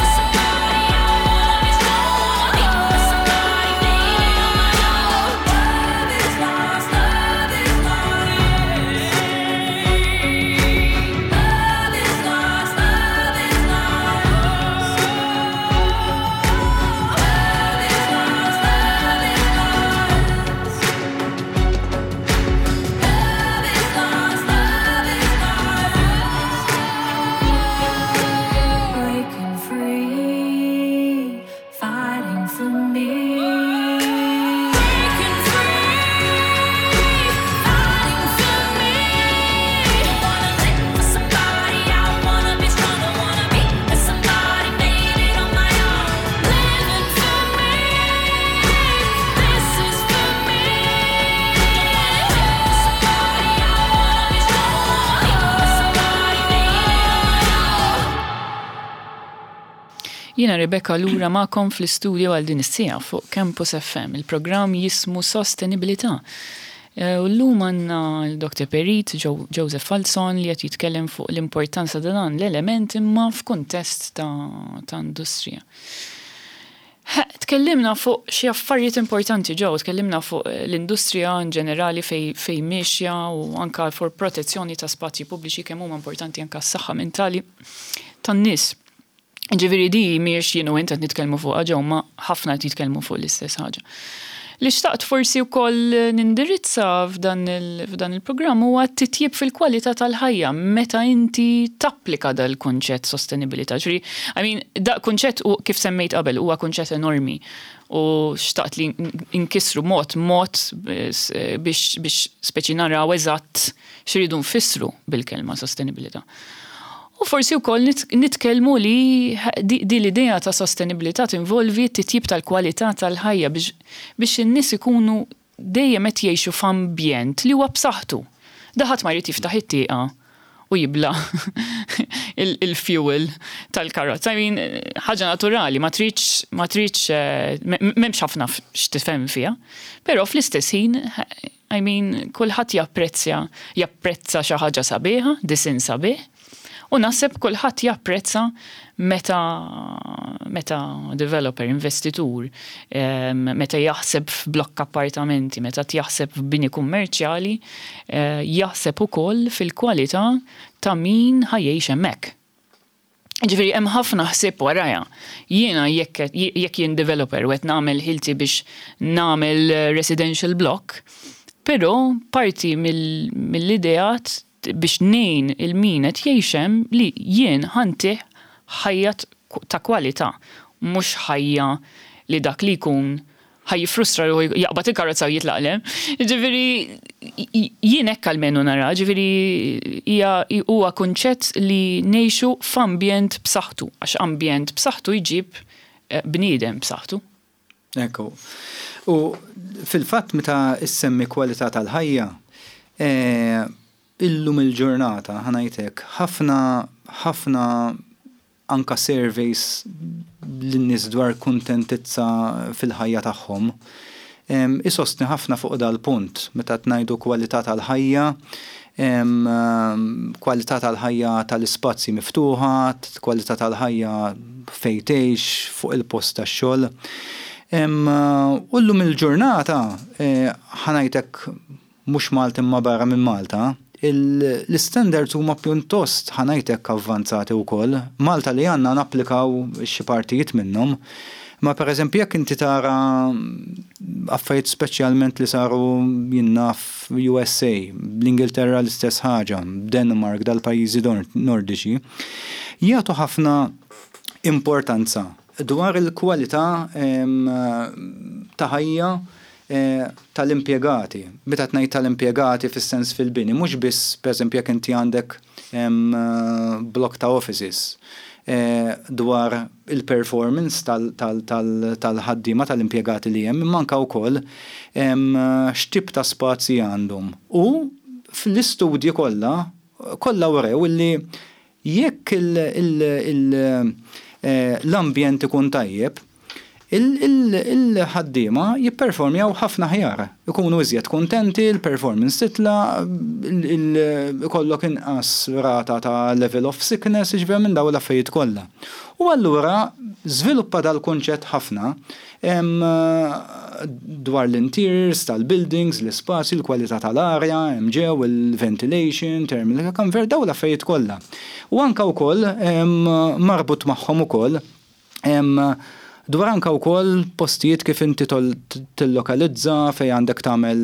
Jiena Rebecca lura magħkom fl-istudio għal din is-siegħa fuq Campus FM. Il-programm jismu Sostenibilità. U llum għandna l-Dr. Perit Joseph Falzon li qed jitkellem fuq l-importanza ta' dan l-element imma f'kuntest ta' industrija. Tkellimna fuq xi affarijiet importanti ġew, tkellimna fuq l-industrija in ġenerali fejn miexja u anka fuq protezzjoni ta' spazji pubbliċi kemm huma importanti anka s-saħħa mentali tan-nies. Ġifieri di mhijiex jien u int qed nitkellmu fuqha ġew ma ħafna qed jitkellmu fuq l-istess ħaġa. Li xtaqt forsi wkoll nindirizza f'dan il-programm huwa t-titjib fil-kwalità tal-ħajja meta inti tapplika dal-kunċett sostenibilità. Ġifieri, I mean, da kunċett u kif semmejt qabel huwa kunċett enormi u xtaqt li nkissru mod mod biex biex speċi naraw eżatt x'iridu nfissru bil-kelma sostenibilità. U forsi wkoll nitkellmu li di l-idea ta' sostenibilità tinvolvi t-titjib tal-kwalità tal-ħajja biex biex in-nies ikunu dejjem qed jgħixu f'ambjent li huwa b'saħħtu. Da ħadd ma jrid jiftaħ it-tieqa u jibla' il-fuel tal-karozza. I mean, ħaġa naturali, ma tridx ma tridx m'hemmx ħafna x'tifhem fiha. Però fl-istess ħin I mean, kulħadd japprezzja, japprezza xi ħaġa sabiħa, disinn sabiħ, u naħseb kulħadd japprezza meta meta developer, investitur, meta jaħseb f'blokk appartamenti, meta jaħseb f'bini kummerċjali, jaħseb ukoll fil-kwalità ta' min ħa jgħix hemmhekk. Ġifieri hemm ħafna ħsieb warajha. Jiena jekk jekk jien developer u qed nagħmel ħilti biex nagħmel residential block, però parti mill-ideat biex ngħin il min qed jgħix hemm li jien ħa ntih ħajja ta' kwalità, mhux ħajja li dak li jkun ħa jiffrustra ruħu jaqbad il-karozza u jitlaq le. Ġifieri jien hekk almenu nara, ġifieri hija huwa kunċett li ngħixu f'ambjent b'saħħtu, għax ambjent b'saħħtu jġib bniedem b'saħħtu. Ekku. U fil-fatt meta ssemmi kwalità tal-ħajja, illum il-ġurnata, ħa ngħid hekk, ħafna ħafna anka surveys lin-nies dwar kuntentizza fil-ħajja tagħhom, isostni ħafna fuq dal-punt meta qed ngħidu kwalità tal-ħajja, kwalità tal-ħajja tal-ispazji miftuħa, kwalità tal-ħajja fejn tgħix, fuq il-post tax-xogħol. U llum il-ġurnata, ħa ngħid hekk mhux Malta imma barra minn Malta, l-istandards huma pjuttost, ħa ngħid hekk, avvanzati wkoll. Malta li għandna napplikaw xi partijiet minnhom. Ma pereżempju jekk inti tara affarijiet speċjalment li saru jien naf USA, l-Ingilterra l-istess ħaġa, Denmark, dal-pajjiżi Nordiċi, jagħtu ħafna importanza dwar il-kwalità ta' ħajja tal-impjegati. Meta qed ngħid tal-impjegati fis-sens fil-bini, mhux biss pereżempju jekk inti għandek blokk ta' offices, dwar il-performance tal-ħaddiema tal-impjegati li hemm, imma anke wkoll x'tip ta' spazji għandhom. U fl-istudji kollha, kollha wrew illi Jekk l-ambjent ikun tajjeb, il-ħaddiema jipperformjaw ħafna aħjar, ikunu iżjed kuntenti, il-performance titla', ikollok inqas rata ta' level of sickness, jiġifieri minn dawn l-affarijiet kollha. U allura żviluppa dal-kunċett ħafna dwar l-interiors tal-buildings, l-ispazju, l-kwalità tal-arja hemm ġew, il-ventilation, thermal comfort, dawn l-affarijiet kollha. U anke wkoll marbut magħhom ukoll dwar anke wkoll postijiet kif inti tillokalizza fejn għandek tagħmel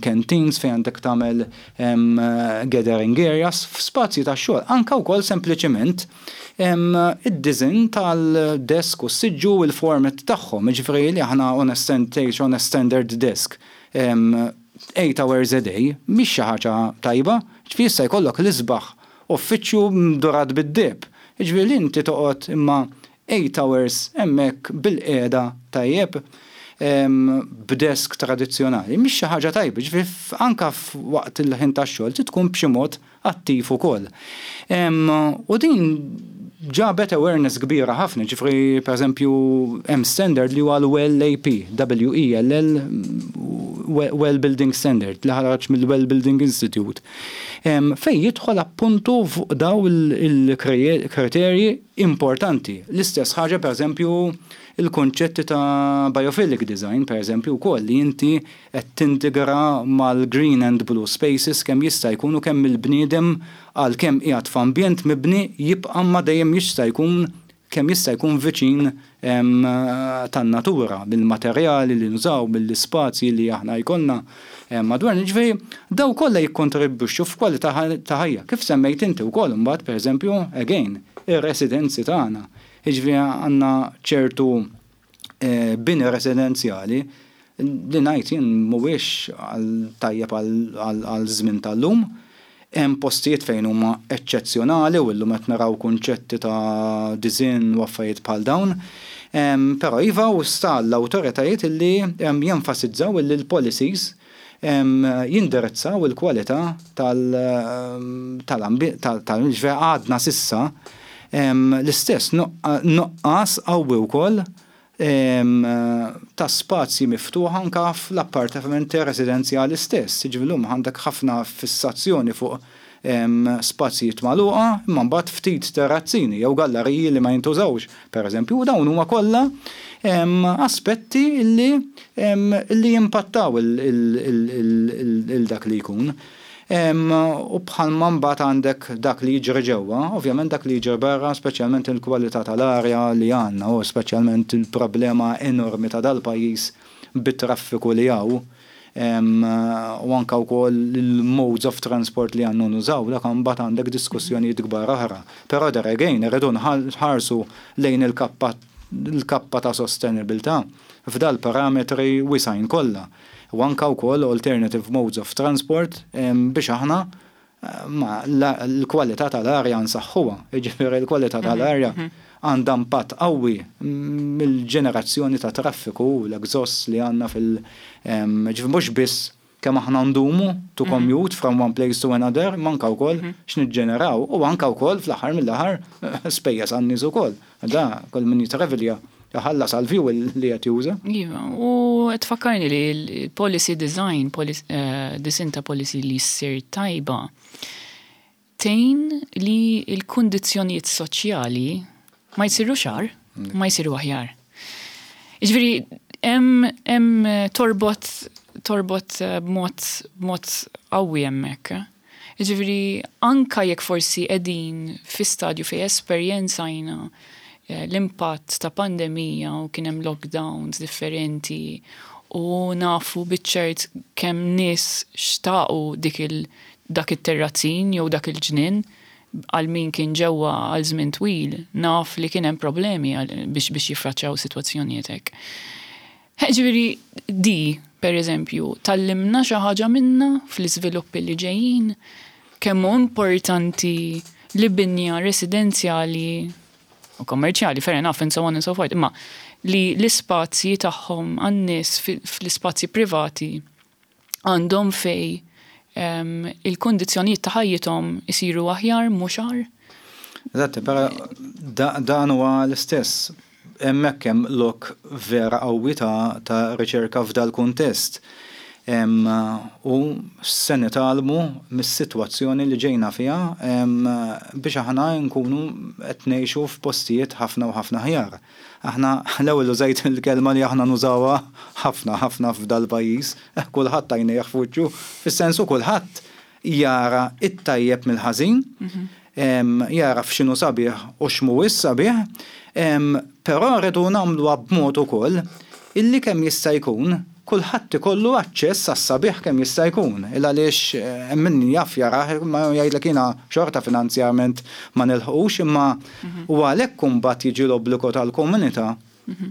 canteens, fejn għandek tagħmel gathering areas, f'spazji tax-xogħol, anke wkoll sempliċiment Id-disinn tal-desk u s-siġġu u l-format tagħhom, jiġifieri li aħna on a tgħix on a standard desk eight hours a day mhix xi ħaġa tajba. Jiġifieri issa jkollok l-isbaħ uffiċċju mdurat bid-deheb. Jiġifieri li inti toqgħod imma eight hours hemmhekk bilqiegħda tajjeb b'desk tradizzjonali mhix xi ħaġa tajba. Jiġifieri anke waqt il-ħin tax-xogħol trid tkun b'xi mod. attiv ukoll. U din ġabet awareness kbira ħafna, ġifri per eżempju hemm standard li huwa l-WELL AP, W-E-L-L, Well Building Standard, li ħareġ mill-Well Building Institute, fejn jidħol appuntu fuq daw il-kriterji importanti. L-istess ħaġa per eżempju il-konċetti ta' biophilic design, per eżempju, wkoll li inti qed tintegra mal-green and blue spaces kemm jista' jkun u kemm il-bniedem għalkemm qiegħed f'ambjent mibni jibqa' ma dejjem jista' jkun kemm jista' jkun viċin tan-natura, bil-materjali li nużaw, mill-ispazji li aħna jkollna madwarna. Ġifieri daw kollha jikkontribwixxu f'kwalità ta' ħajja. Kif semmejt inti wkoll imbagħad pereżempju, again, ir-residenzi tagħna. Jiġifieri għandna ċertu bini residenzjali li ngħid jien mhuwiex tajjeb għal żmien tal-lum. Hemm postijiet fejn huma eċċezzjonali u llum qed naraw kunċetti ta' disinn u affarijiet bħal dawn. Però iva u sta l-awtoritajiet illi jenfasizzaw illi l-policies jindirizzaw il-kwalità tal-ambjent, ġifieri għadna s'issa l-istess nuqqas qawwi wkoll ta' spazji miftuħa anke fl-appartamenti residenzjali stess. Jiġifieri llum għandek ħafna fissazzjoni fuq spazjijiet magħluqa imma mbagħad ftit terrazzini jew gallariji li ma jintużawx, pereżempju, u dawn huma kollha aspetti li li jimpattaw il dak li jkun. U bħalma mbagħad għandek dak li jiġri ġewwa, ovvjament dak li jiġri barra, speċjalment il-kwalità tal-arja li għandna u speċjalment il-problema enormi ta' dal-pajjiż bit-traffiku li hawn, u anke wkoll il-modes of transport li għandna nużaw, dak mbagħad għandek diskussjonijiet kbar oħra. Però there again irridu nħarsu lejn il-kappa l-kappa ta' sostenibilità f'dal-parametri wisgħin kollha u anke wkoll alternative modes of transport biex aħna ma l-kwalità tal-arja nsaħħuha. Jiġifieri l-kwalità tal-arja għandha impatt qawwi mill-ġenerazzjoni ta' traffiku u l-exhausts li għandna fil ġifieri mhux biss kemm aħna ndumu to commute from one place to another, imma anke wkoll x'niġġeneraw u anke wkoll fl-aħħar mill-aħħar spejjeż għan-nies ukoll. Da, kull min jitravelja jħallas għal fuel li qed juża. Iva, u tfakkarni li l-policy design, design ta' policy li ssir tajba, tgħin li l-kundizzjonijiet soċjali ma jsirux agħar, ma jsiru aħjar. Jiġifieri hemm torbot torbot b'mod b'mod qawwi hemmhekk. Jiġifieri anka jekk forsi qegħdin fi stadju fejn esperjenzajna l-impatt ta' pandemija u kien hemm lockdowns differenti u nafu biċ-ċert kemm nies xtaqu dik il dak it-terrazzin jew dak il-ġnien għal min kien ġewwa għal żmien twil, naf li kien hemm problemi biex biex jiffaċċjaw sitwazzjonijiet hekk. Ġifieri di, per eżempju, tgħallimna xi ħaġa minna fl-iżviluppi li ġejjin, kemm hu importanti li binja residenzjali u kommerċjali, fair enough, and so on and so forth, imma li l-ispazji tagħhom għan-nies fl-ispazji privati għandhom fej il-kondizzjonijiet ta' ħajjithom isiru aħjar mhux agħar. Eżatt, però dan huwa l-istess. Hemmhekk hemm lok vera qawwi ta' riċerka f'dal kuntest. U se nitgħallmu mis-sitwazzjoni li ġejna fiha biex aħna nkunu qed ngħixu f'postijiet ħafna u ħafna aħjar. Aħna l-ewwel użajt il-kelma li aħna nużawha ħafna ħafna f'dal-pajjiż, kulħadd għajnejh f'wiċċu, fis-sensu kulħadd jara it-tajjeb mill-ħażin, jara f'x'inhu sabiħ u x'mhuwiex sabiħ, però rridu nagħmluha b'mod ukoll illi kemm jista' jkun kulħadd ikollu aċċess għas-sabiħ kemm jista' jkun. Il għaliex hemm min jaf jarah ma jgħidlek jiena xorta finanzjament ma nilħqux imma u għalhekk imbagħad jiġi l-obbligu tal-komunità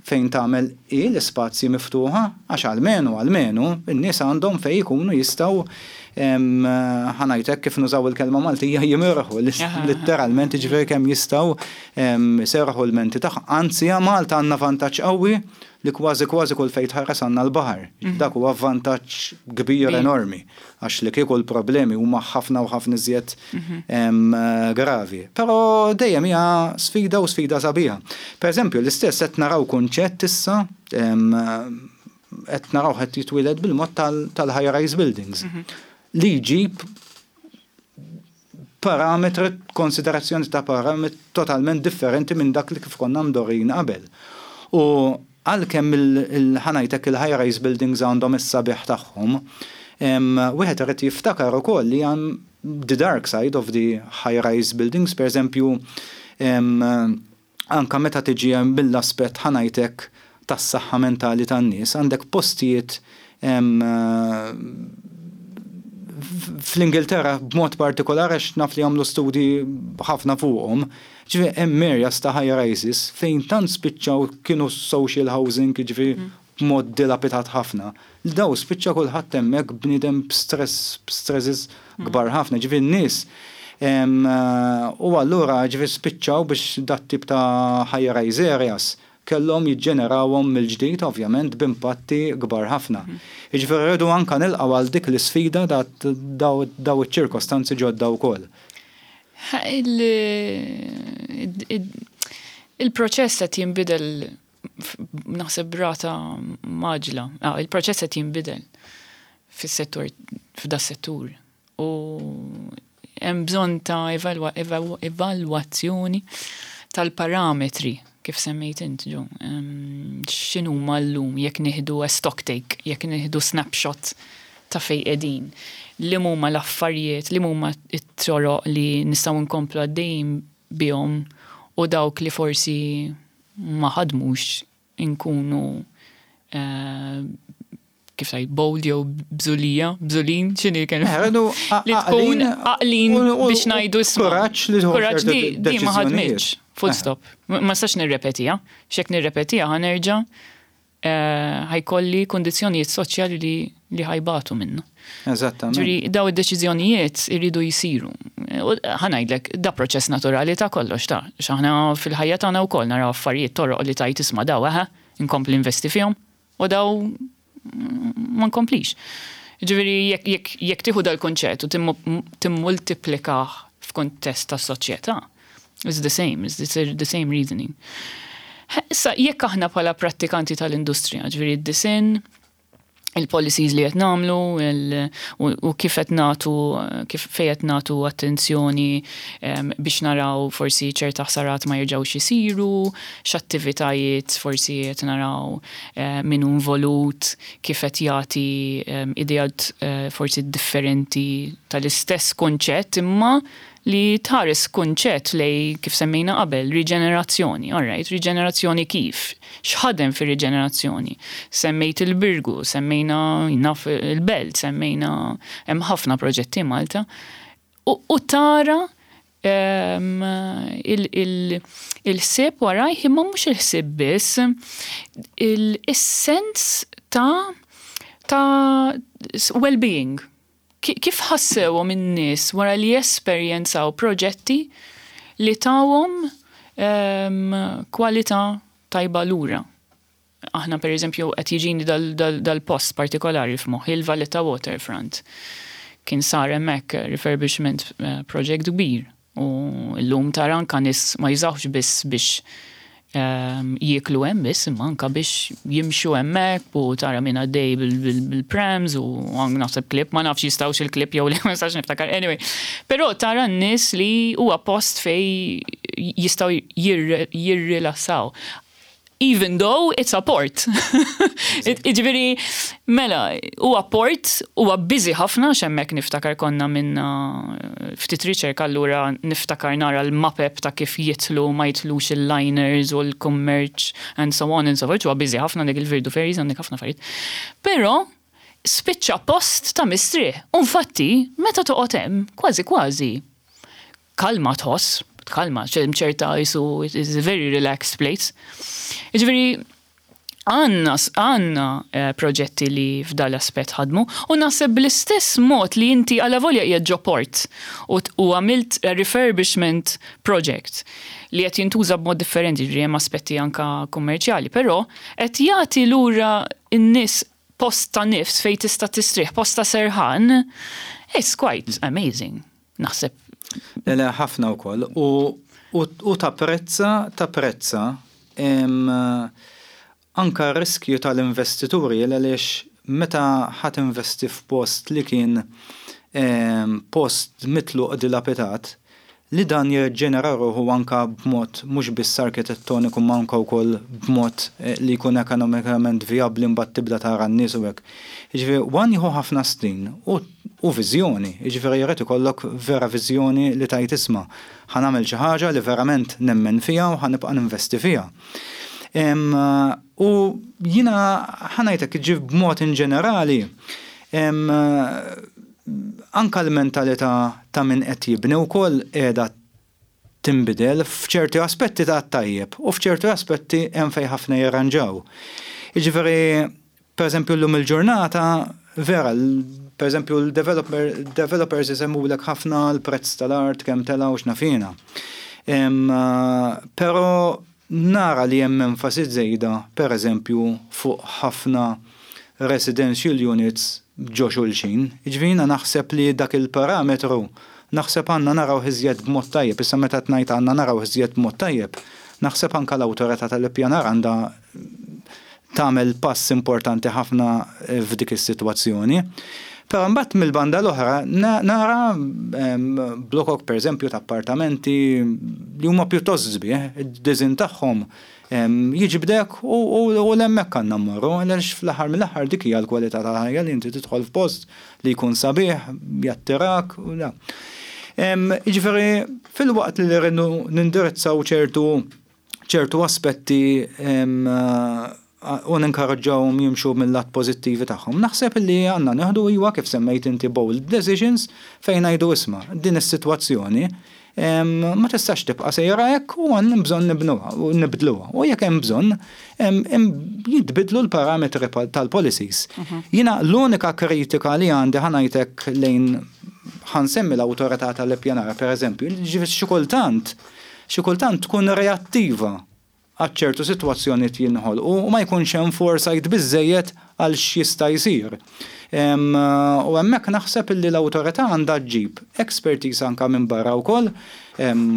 fejn tagħmel hi l-ispazji miftuħa għax almenu almenu n-nies għandhom fejn ikunu jistgħu. Ħa ngħid hekk kif nużaw il-kelma Maltija jimirħu litteralment jiġifieri kemm jistgħu jserrħu l-menti tagħhom. Anzi Malta għandna vantaġġ qawwi li kważi kważi kull fejn tħares għandna l-baħar. Dak huwa vantaġġ kbir enormi għax li kieku l-problemi huma ħafna u ħafna iżjed gravi. Però dejjem hija sfida u sfida sabiħa. Per eżempju, l-istess qed naraw kunċett issa qed naraw qed jitwieled bil-mod tal-high rise buildings li jġib parametri, konsiderazzjoni ta' parametri totalment differenti minn dak li kif konna mdorrijin qabel. U għalkemm ħa ngħidlek il-high rise buildings għandhom is-sabiħ tagħhom, wieħed irid jiftakar ukoll li hemm the dark side of the high rise buildings, per eżempju, anka meta tiġi mill-aspett ħa ngħidlek tas-saħħa mentali tan-nies, għandek postijiet fl-Ingilterra b'mod partikolari għax naf li għamlu studji ħafna fuqhom, ġifieri hemm areas ta' high rises fejn tant spiċċaw kienu social housing ġifieri b'mod dilapidat ħafna. Li daw spiċċa kulħadd hemmhekk bniedem b'stress, b'stresses kbar ħafna, ġifieri n-nies u allura ġifieri spiċċaw biex dat tip ta' high rise areas kellhom jiġġenerawhom mill-ġdid ovvjament b'impatti kbar ħafna. Jiġifieri rridu anka nilqgħu għal dik l-isfida daw iċ-ċirkostanzi ġodda wkoll. Il-proċess qed jinbidel naħseb b'rata mgħaġġla. Il-proċess qed jinbidel fis-settur f'da settur u hemm bżonn ta' evalwazzjoni tal-parametri kif semmejt int Joe. X'inhuma llum jekk nieħdu a stock take, jekk nieħdu snapshot ta' fej qegħdin. Li huma l-affarijiet, li huma t-toroq li nistgħu nkomplu għaddejjin bihom u dawk li forsi ma ħadmux inkunu kif tgħid bold jew bżulija, bżulin, x'inhi l-kelma? Li tkun għaqlin biex ngħidu isma'. Kuraġġ li tieħu Kuraġġ di ma ħadmitx. Full stop. Ma nistax nirrepetiha. X'jekk nirrepetiha ħa nerġa' ħa jkolli kundizzjonijiet soċjali li ħa jbatu minnu. Eżattament. Ġifieri daw id-deċiżjonijiet iridu jsiru. Ħa ngħidlek, da proċess naturali ta' kollox ta' x'aħna fil-ħajja tagħna wkoll naraw affarijiet toroq li tajt isma' daw eħe, inkompli investi fihom u daw ma nkomplix. Ġifieri jekk tieħu dal-kunċett u timmultiplikah f'kuntest ta' soċjetà, it's the same, it's the same reasoning. Issa jekk aħna bħala prattikanti tal-industrija, ġifieri d-disinn, il-policies li qed nagħmlu u kif qed nagħtu kif fejn qed nagħtu attenzjoni biex naraw forsi ċerta ħsarat ma jerġgħux isiru, x'attivitajiet forsi qed naraw min hu involut, kif qed jagħti ideat forsi differenti tal-istess kunċett imma li tħares kunċett lej kif semmejna qabel, riġenerazzjoni, all right, riġenerazzjoni kif? X'ħadem fir-riġenerazzjoni? Semmejt il-Birgu, semmejna naf il-Belt, semmejna hemm ħafna proġetti Malta. U tara il-ħsieb warajh imma mhux il-ħsieb biss, il-sens ta' well-being. Kif ħassewhom in-nies wara li esperjenzaw proġetti li tawhom kwalità tajba lura. Aħna per eżempju qed jiġini dal-post partikolari f'moħħi il-Valletta Waterfront. Kien sar hemmhekk refurbishment project kbir u llum tara anka nies ma jużawx biss biex jieklu hemm biss imma anka biex jimxu hemmhekk u tara min għaddej bil-prams u naħseb klieb, ma nafx jistgħux il-klieb jew li ma nistax niftakar. Anyway, però tara n-nies li huwa post fej jistgħu jirrilassaw. Even though it's a port. Ġifieri, mela, huwa port, huwa busy ħafna x'hemmhekk niftakar konna minna ftit riċerka allura niftakar nara l-mapep ta' kif jitlu ma jitlux il-liners u l-kummerċ and so on and so forth, huwa busy ħafna dik il-Virdu Ferries għandek ħafna affarijiet. Però spiċċa post ta' mistrieħ. Infatti, meta toqgħod hemm, kważi kważi kalma tħoss, kalma, ċerta jisu, it's a very relaxed place. Ġifieri, Għandna għandna proġetti li f'dal-aspett ħadmu u naħseb bl-istess mod li inti alavolja qiegħed ġo port u u għamilt refurbishment project li qed jintuża b'mod differenti, jiġifieri hemm aspetti anke kummerċjali, però qed jagħti lura n-nies post ta' nifs fejn tista' tistrieħ, post ta' serħan, it's quite amazing, naħseb. Le le ħafna wkoll u u tapprezza tapprezza anke r-riskju tal-investituri għaliex meta ħa tinvesti f'post li kien post mitluq dilapidat, li dan jirriġenera ruħu anke b'mod mhux biss arkitettoniku imma anke wkoll b'mod li jkun ekonomikament vijabbli mbagħad tibda tara n-nies u hekk. Jiġifieri one jieħu ħafna snin u u viżjoni, jiġifieri jrid ikollok vera viżjoni li tgħid isma' ħa nagħmel xi ħaġa li verament nemmen fiha u ħa nibqa' ninvesti fiha. U jiena ħa ngħidlek jiġifieri b'mod inġenerali anke l-mentalità ta' min qed jibni wkoll qiegħda tinbidel f'ċerti aspetti ta' tajjeb u f'ċerti aspetti hemm fejn ħafna jirranġaw. Jiġifieri, pereżempju llum il-ġurnata, vera, pereżempju l-developers isemmulek ħafna l-prezz tal-art kemm tela' u x'naf jiena. Però Nara li hemm enfasi żejda, per eżempju, fuq ħafna residential units ġo xulxin. Jiġifieri jiena naħseb li dak il-parametru naħseb għandna narawh iżjed b'mod tajjeb. Issa meta qed ngħid għandna narawh iżjed b'mod tajjeb, naħseb anke l-Awtorità tal-Ippjanar għandha tagħmel pass importanti ħafna f'dik is-sitwazzjoni. Però mbagħad mill-banda l-oħra nara blokok pereżempju ta' appartamenti li huma pjuttost sbieħ, id-disinn tagħhom jiġbdek u l-hemmhekk għandna mmorru għaliex fl-aħħar mill-aħħar dik hija l-kwalità tal-ħajja li inti tidħol f'post li jkun sabiħ, jattirak u da. Jiġifieri filwaqt li rridu nindirizzaw ċertu ċertu aspetti u ninkoraġġawhom jimxu mill-lat pożittivi tagħhom. Naħseb li għandna nieħdu iwa kif semmejt inti bold decisions fejn ngħidu isma' din is-sitwazzjoni ma tistax tibqa' sejra hekk u għandna bżonn nibnuha u nibdluha. U jekk hemm bżonn jitbidlu l-parametri tal-policies. Jiena l-unika kritika li għandi ħa ngħidlek lejn ħa nsemmi l-awtorità tal-ippjanar pereżempju, ġifieri xi kultant xi kultant tkun reattiva għal ċertu sitwazzjonijiet jinħolqu u ma jkunx hemm foresight biżżejjed għal x'jista' jsir. U hemmhekk naħseb illi l-awtorità għandha ġġib expertise anke minn barra wkoll,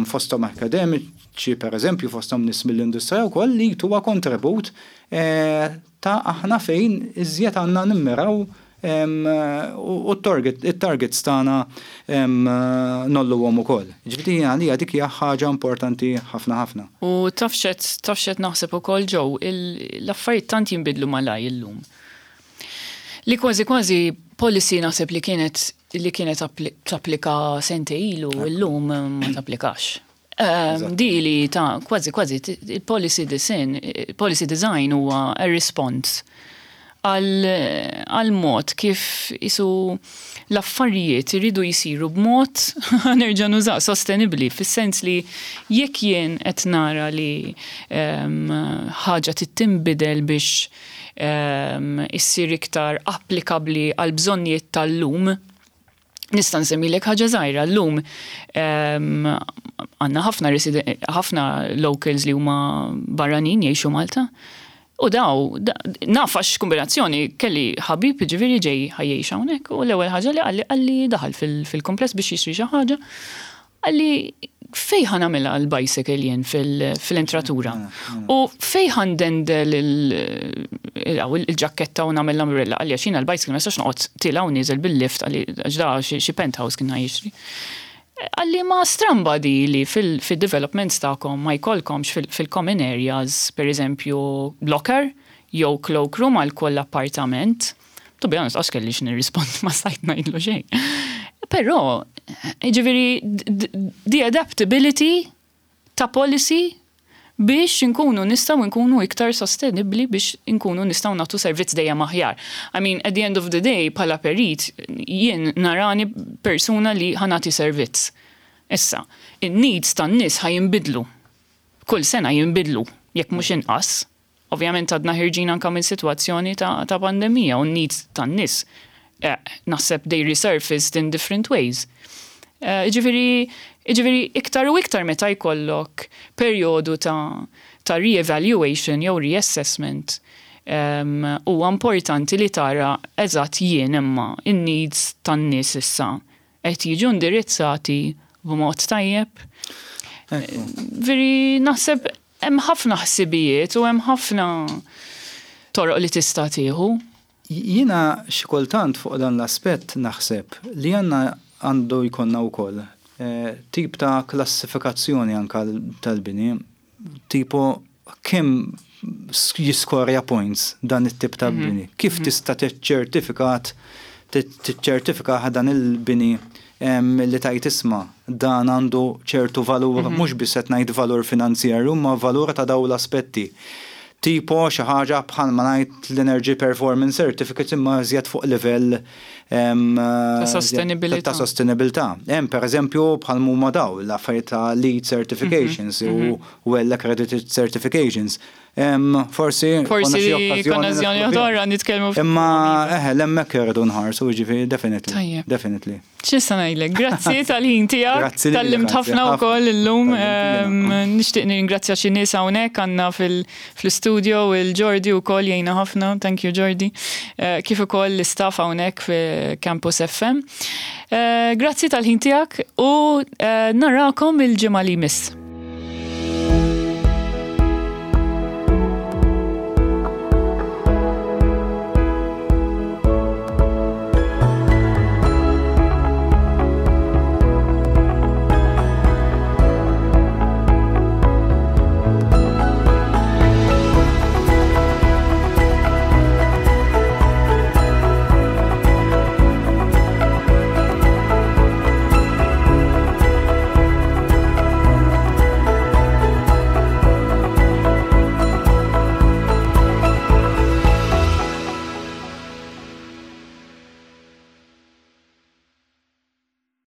fosthom akademiċi pereżempju, fosthom nies mill-industrija wkoll li jtuha kontribut ta' aħna fejn iżjed għandna nimmiraw u t-targets tagħna ngħolluhom ukoll. Ġifieri għalija dik hija ħaġa importanti ħafna ħafna. U taf x'qed taf x'qed naħseb ukoll Joe, l-affarijiet tant jinbidlu malajr illum. Li kważi kważi policy naħseb li kienet li kienet tapplika sentejn ilu illum ma tapplikax. Di li ta' kważi kważi il-policy design, policy design huwa a response għal mod kif isu l-affarijiet iridu jisiru b'mod nerġa' nuża sostenibbli fis-sens li jekk jien qed nara li ħaġa tittinbidel biex issir iktar applikabbli għal bżonnijiet tal-lum. Nista' nsemmilek ħaġa żgħira llum għandna ħafna ħafna locals li huma barranin jgħixu Malta. U daw, naf għax kombinazzjoni kelli ħabib ġifieri ġej ħa jgħix hawnhekk u l-ewwel ħaġa li qalli qalli daħal fil-kumpless biex jixtri xi ħaġa. Qalli fejn ħa nagħmilha l-bicycle jien fil-entratura. U fejn ħa ndendel il-ġaketta u nagħmel l-umbrella qalli għax jiena l-bicycle ma nistax noqgħod tiela' u nieżel bil-lift qalli għax da xi penthouse kien ħa jixtri. Qalli ma stramba di li fil-developments tagħkom ma jkollkomx fil-common areas, per eżempju, locker jew cloakroom għal kull appartament. To be honest, għax kelli x'nirrispondi ma stajt ngħidlu xejn. Però, ġifieri, the adaptability ta' policy biex nkunu nistgħu nkunu iktar sostenibli biex nkunu nistgħu nagħtu servizz dejjem aħjar. I mean, at the end of the day, bħala perit, jien narani persuna li ħa nagħti servizz. Issa, in-needs tan-nies ħa jinbidlu. Kull sena jinbidlu, jekk mhux inqas. Ovvjament għadna ħirġin anka minn sitwazzjoni ta', ta pandemija u n-needs tan-nies eh, naħseb they resurfaced in different ways. Eh, Ġifieri iktar u iktar meta jkollok perjodu ta' re-evaluation jew reassessment huwa importanti li tara eżatt jien imma in-needs tan-nies issa qed jiġu indirizzati b'mod tajjeb. Veri naħseb hemm ħafna ħsibijiet u hemm ħafna toroq li tista' tieħu. Jiena xi kultant fuq dan l-aspett naħseb li għandna għandu jkollna wkoll tip ta' klassifikazzjoni anka tal-bini, tipo kemm jiskorja points dan it-tip ta' bini. Kif tista' tiċċertifikat tiċċertifika dan il-bini li tajt isma' dan għandu ċertu valur, mhux biss qed ngħid valur finanzjarju, ma valur ta' dawn l-aspetti. Tipo xi ħaġa bħalma ngħid l-Energy Performance Certificate imma iżjed fuq livell ta' sostenibilità. Ta' sostenibilità. Hemm pereżempju bħal huma daw l-affarijiet ta' LEED certifications u well accredited certifications. Forsi Forsi okkażjoni oħra nitkellmu. Imma eħe, l-hemmhekk irridu nħarsu, ġifieri definitely. Tajjeb. Definitely. X'nista' ngħidlek? Grazzi tal-ħin tiegħek. Grazzi lilek, Tgħallimt ħafna wkoll illum. Nixtieq nirringrazzja xi nies hawnhekk għandna fl-istudio il-Jordi wkoll jgħinna ħafna. Thank you Jordi. Kif ukoll l-istaff hawnhekk fi Campus FM. Grazzi tal-ħin tiegħek u narakom il-ġimgħa li jmiss.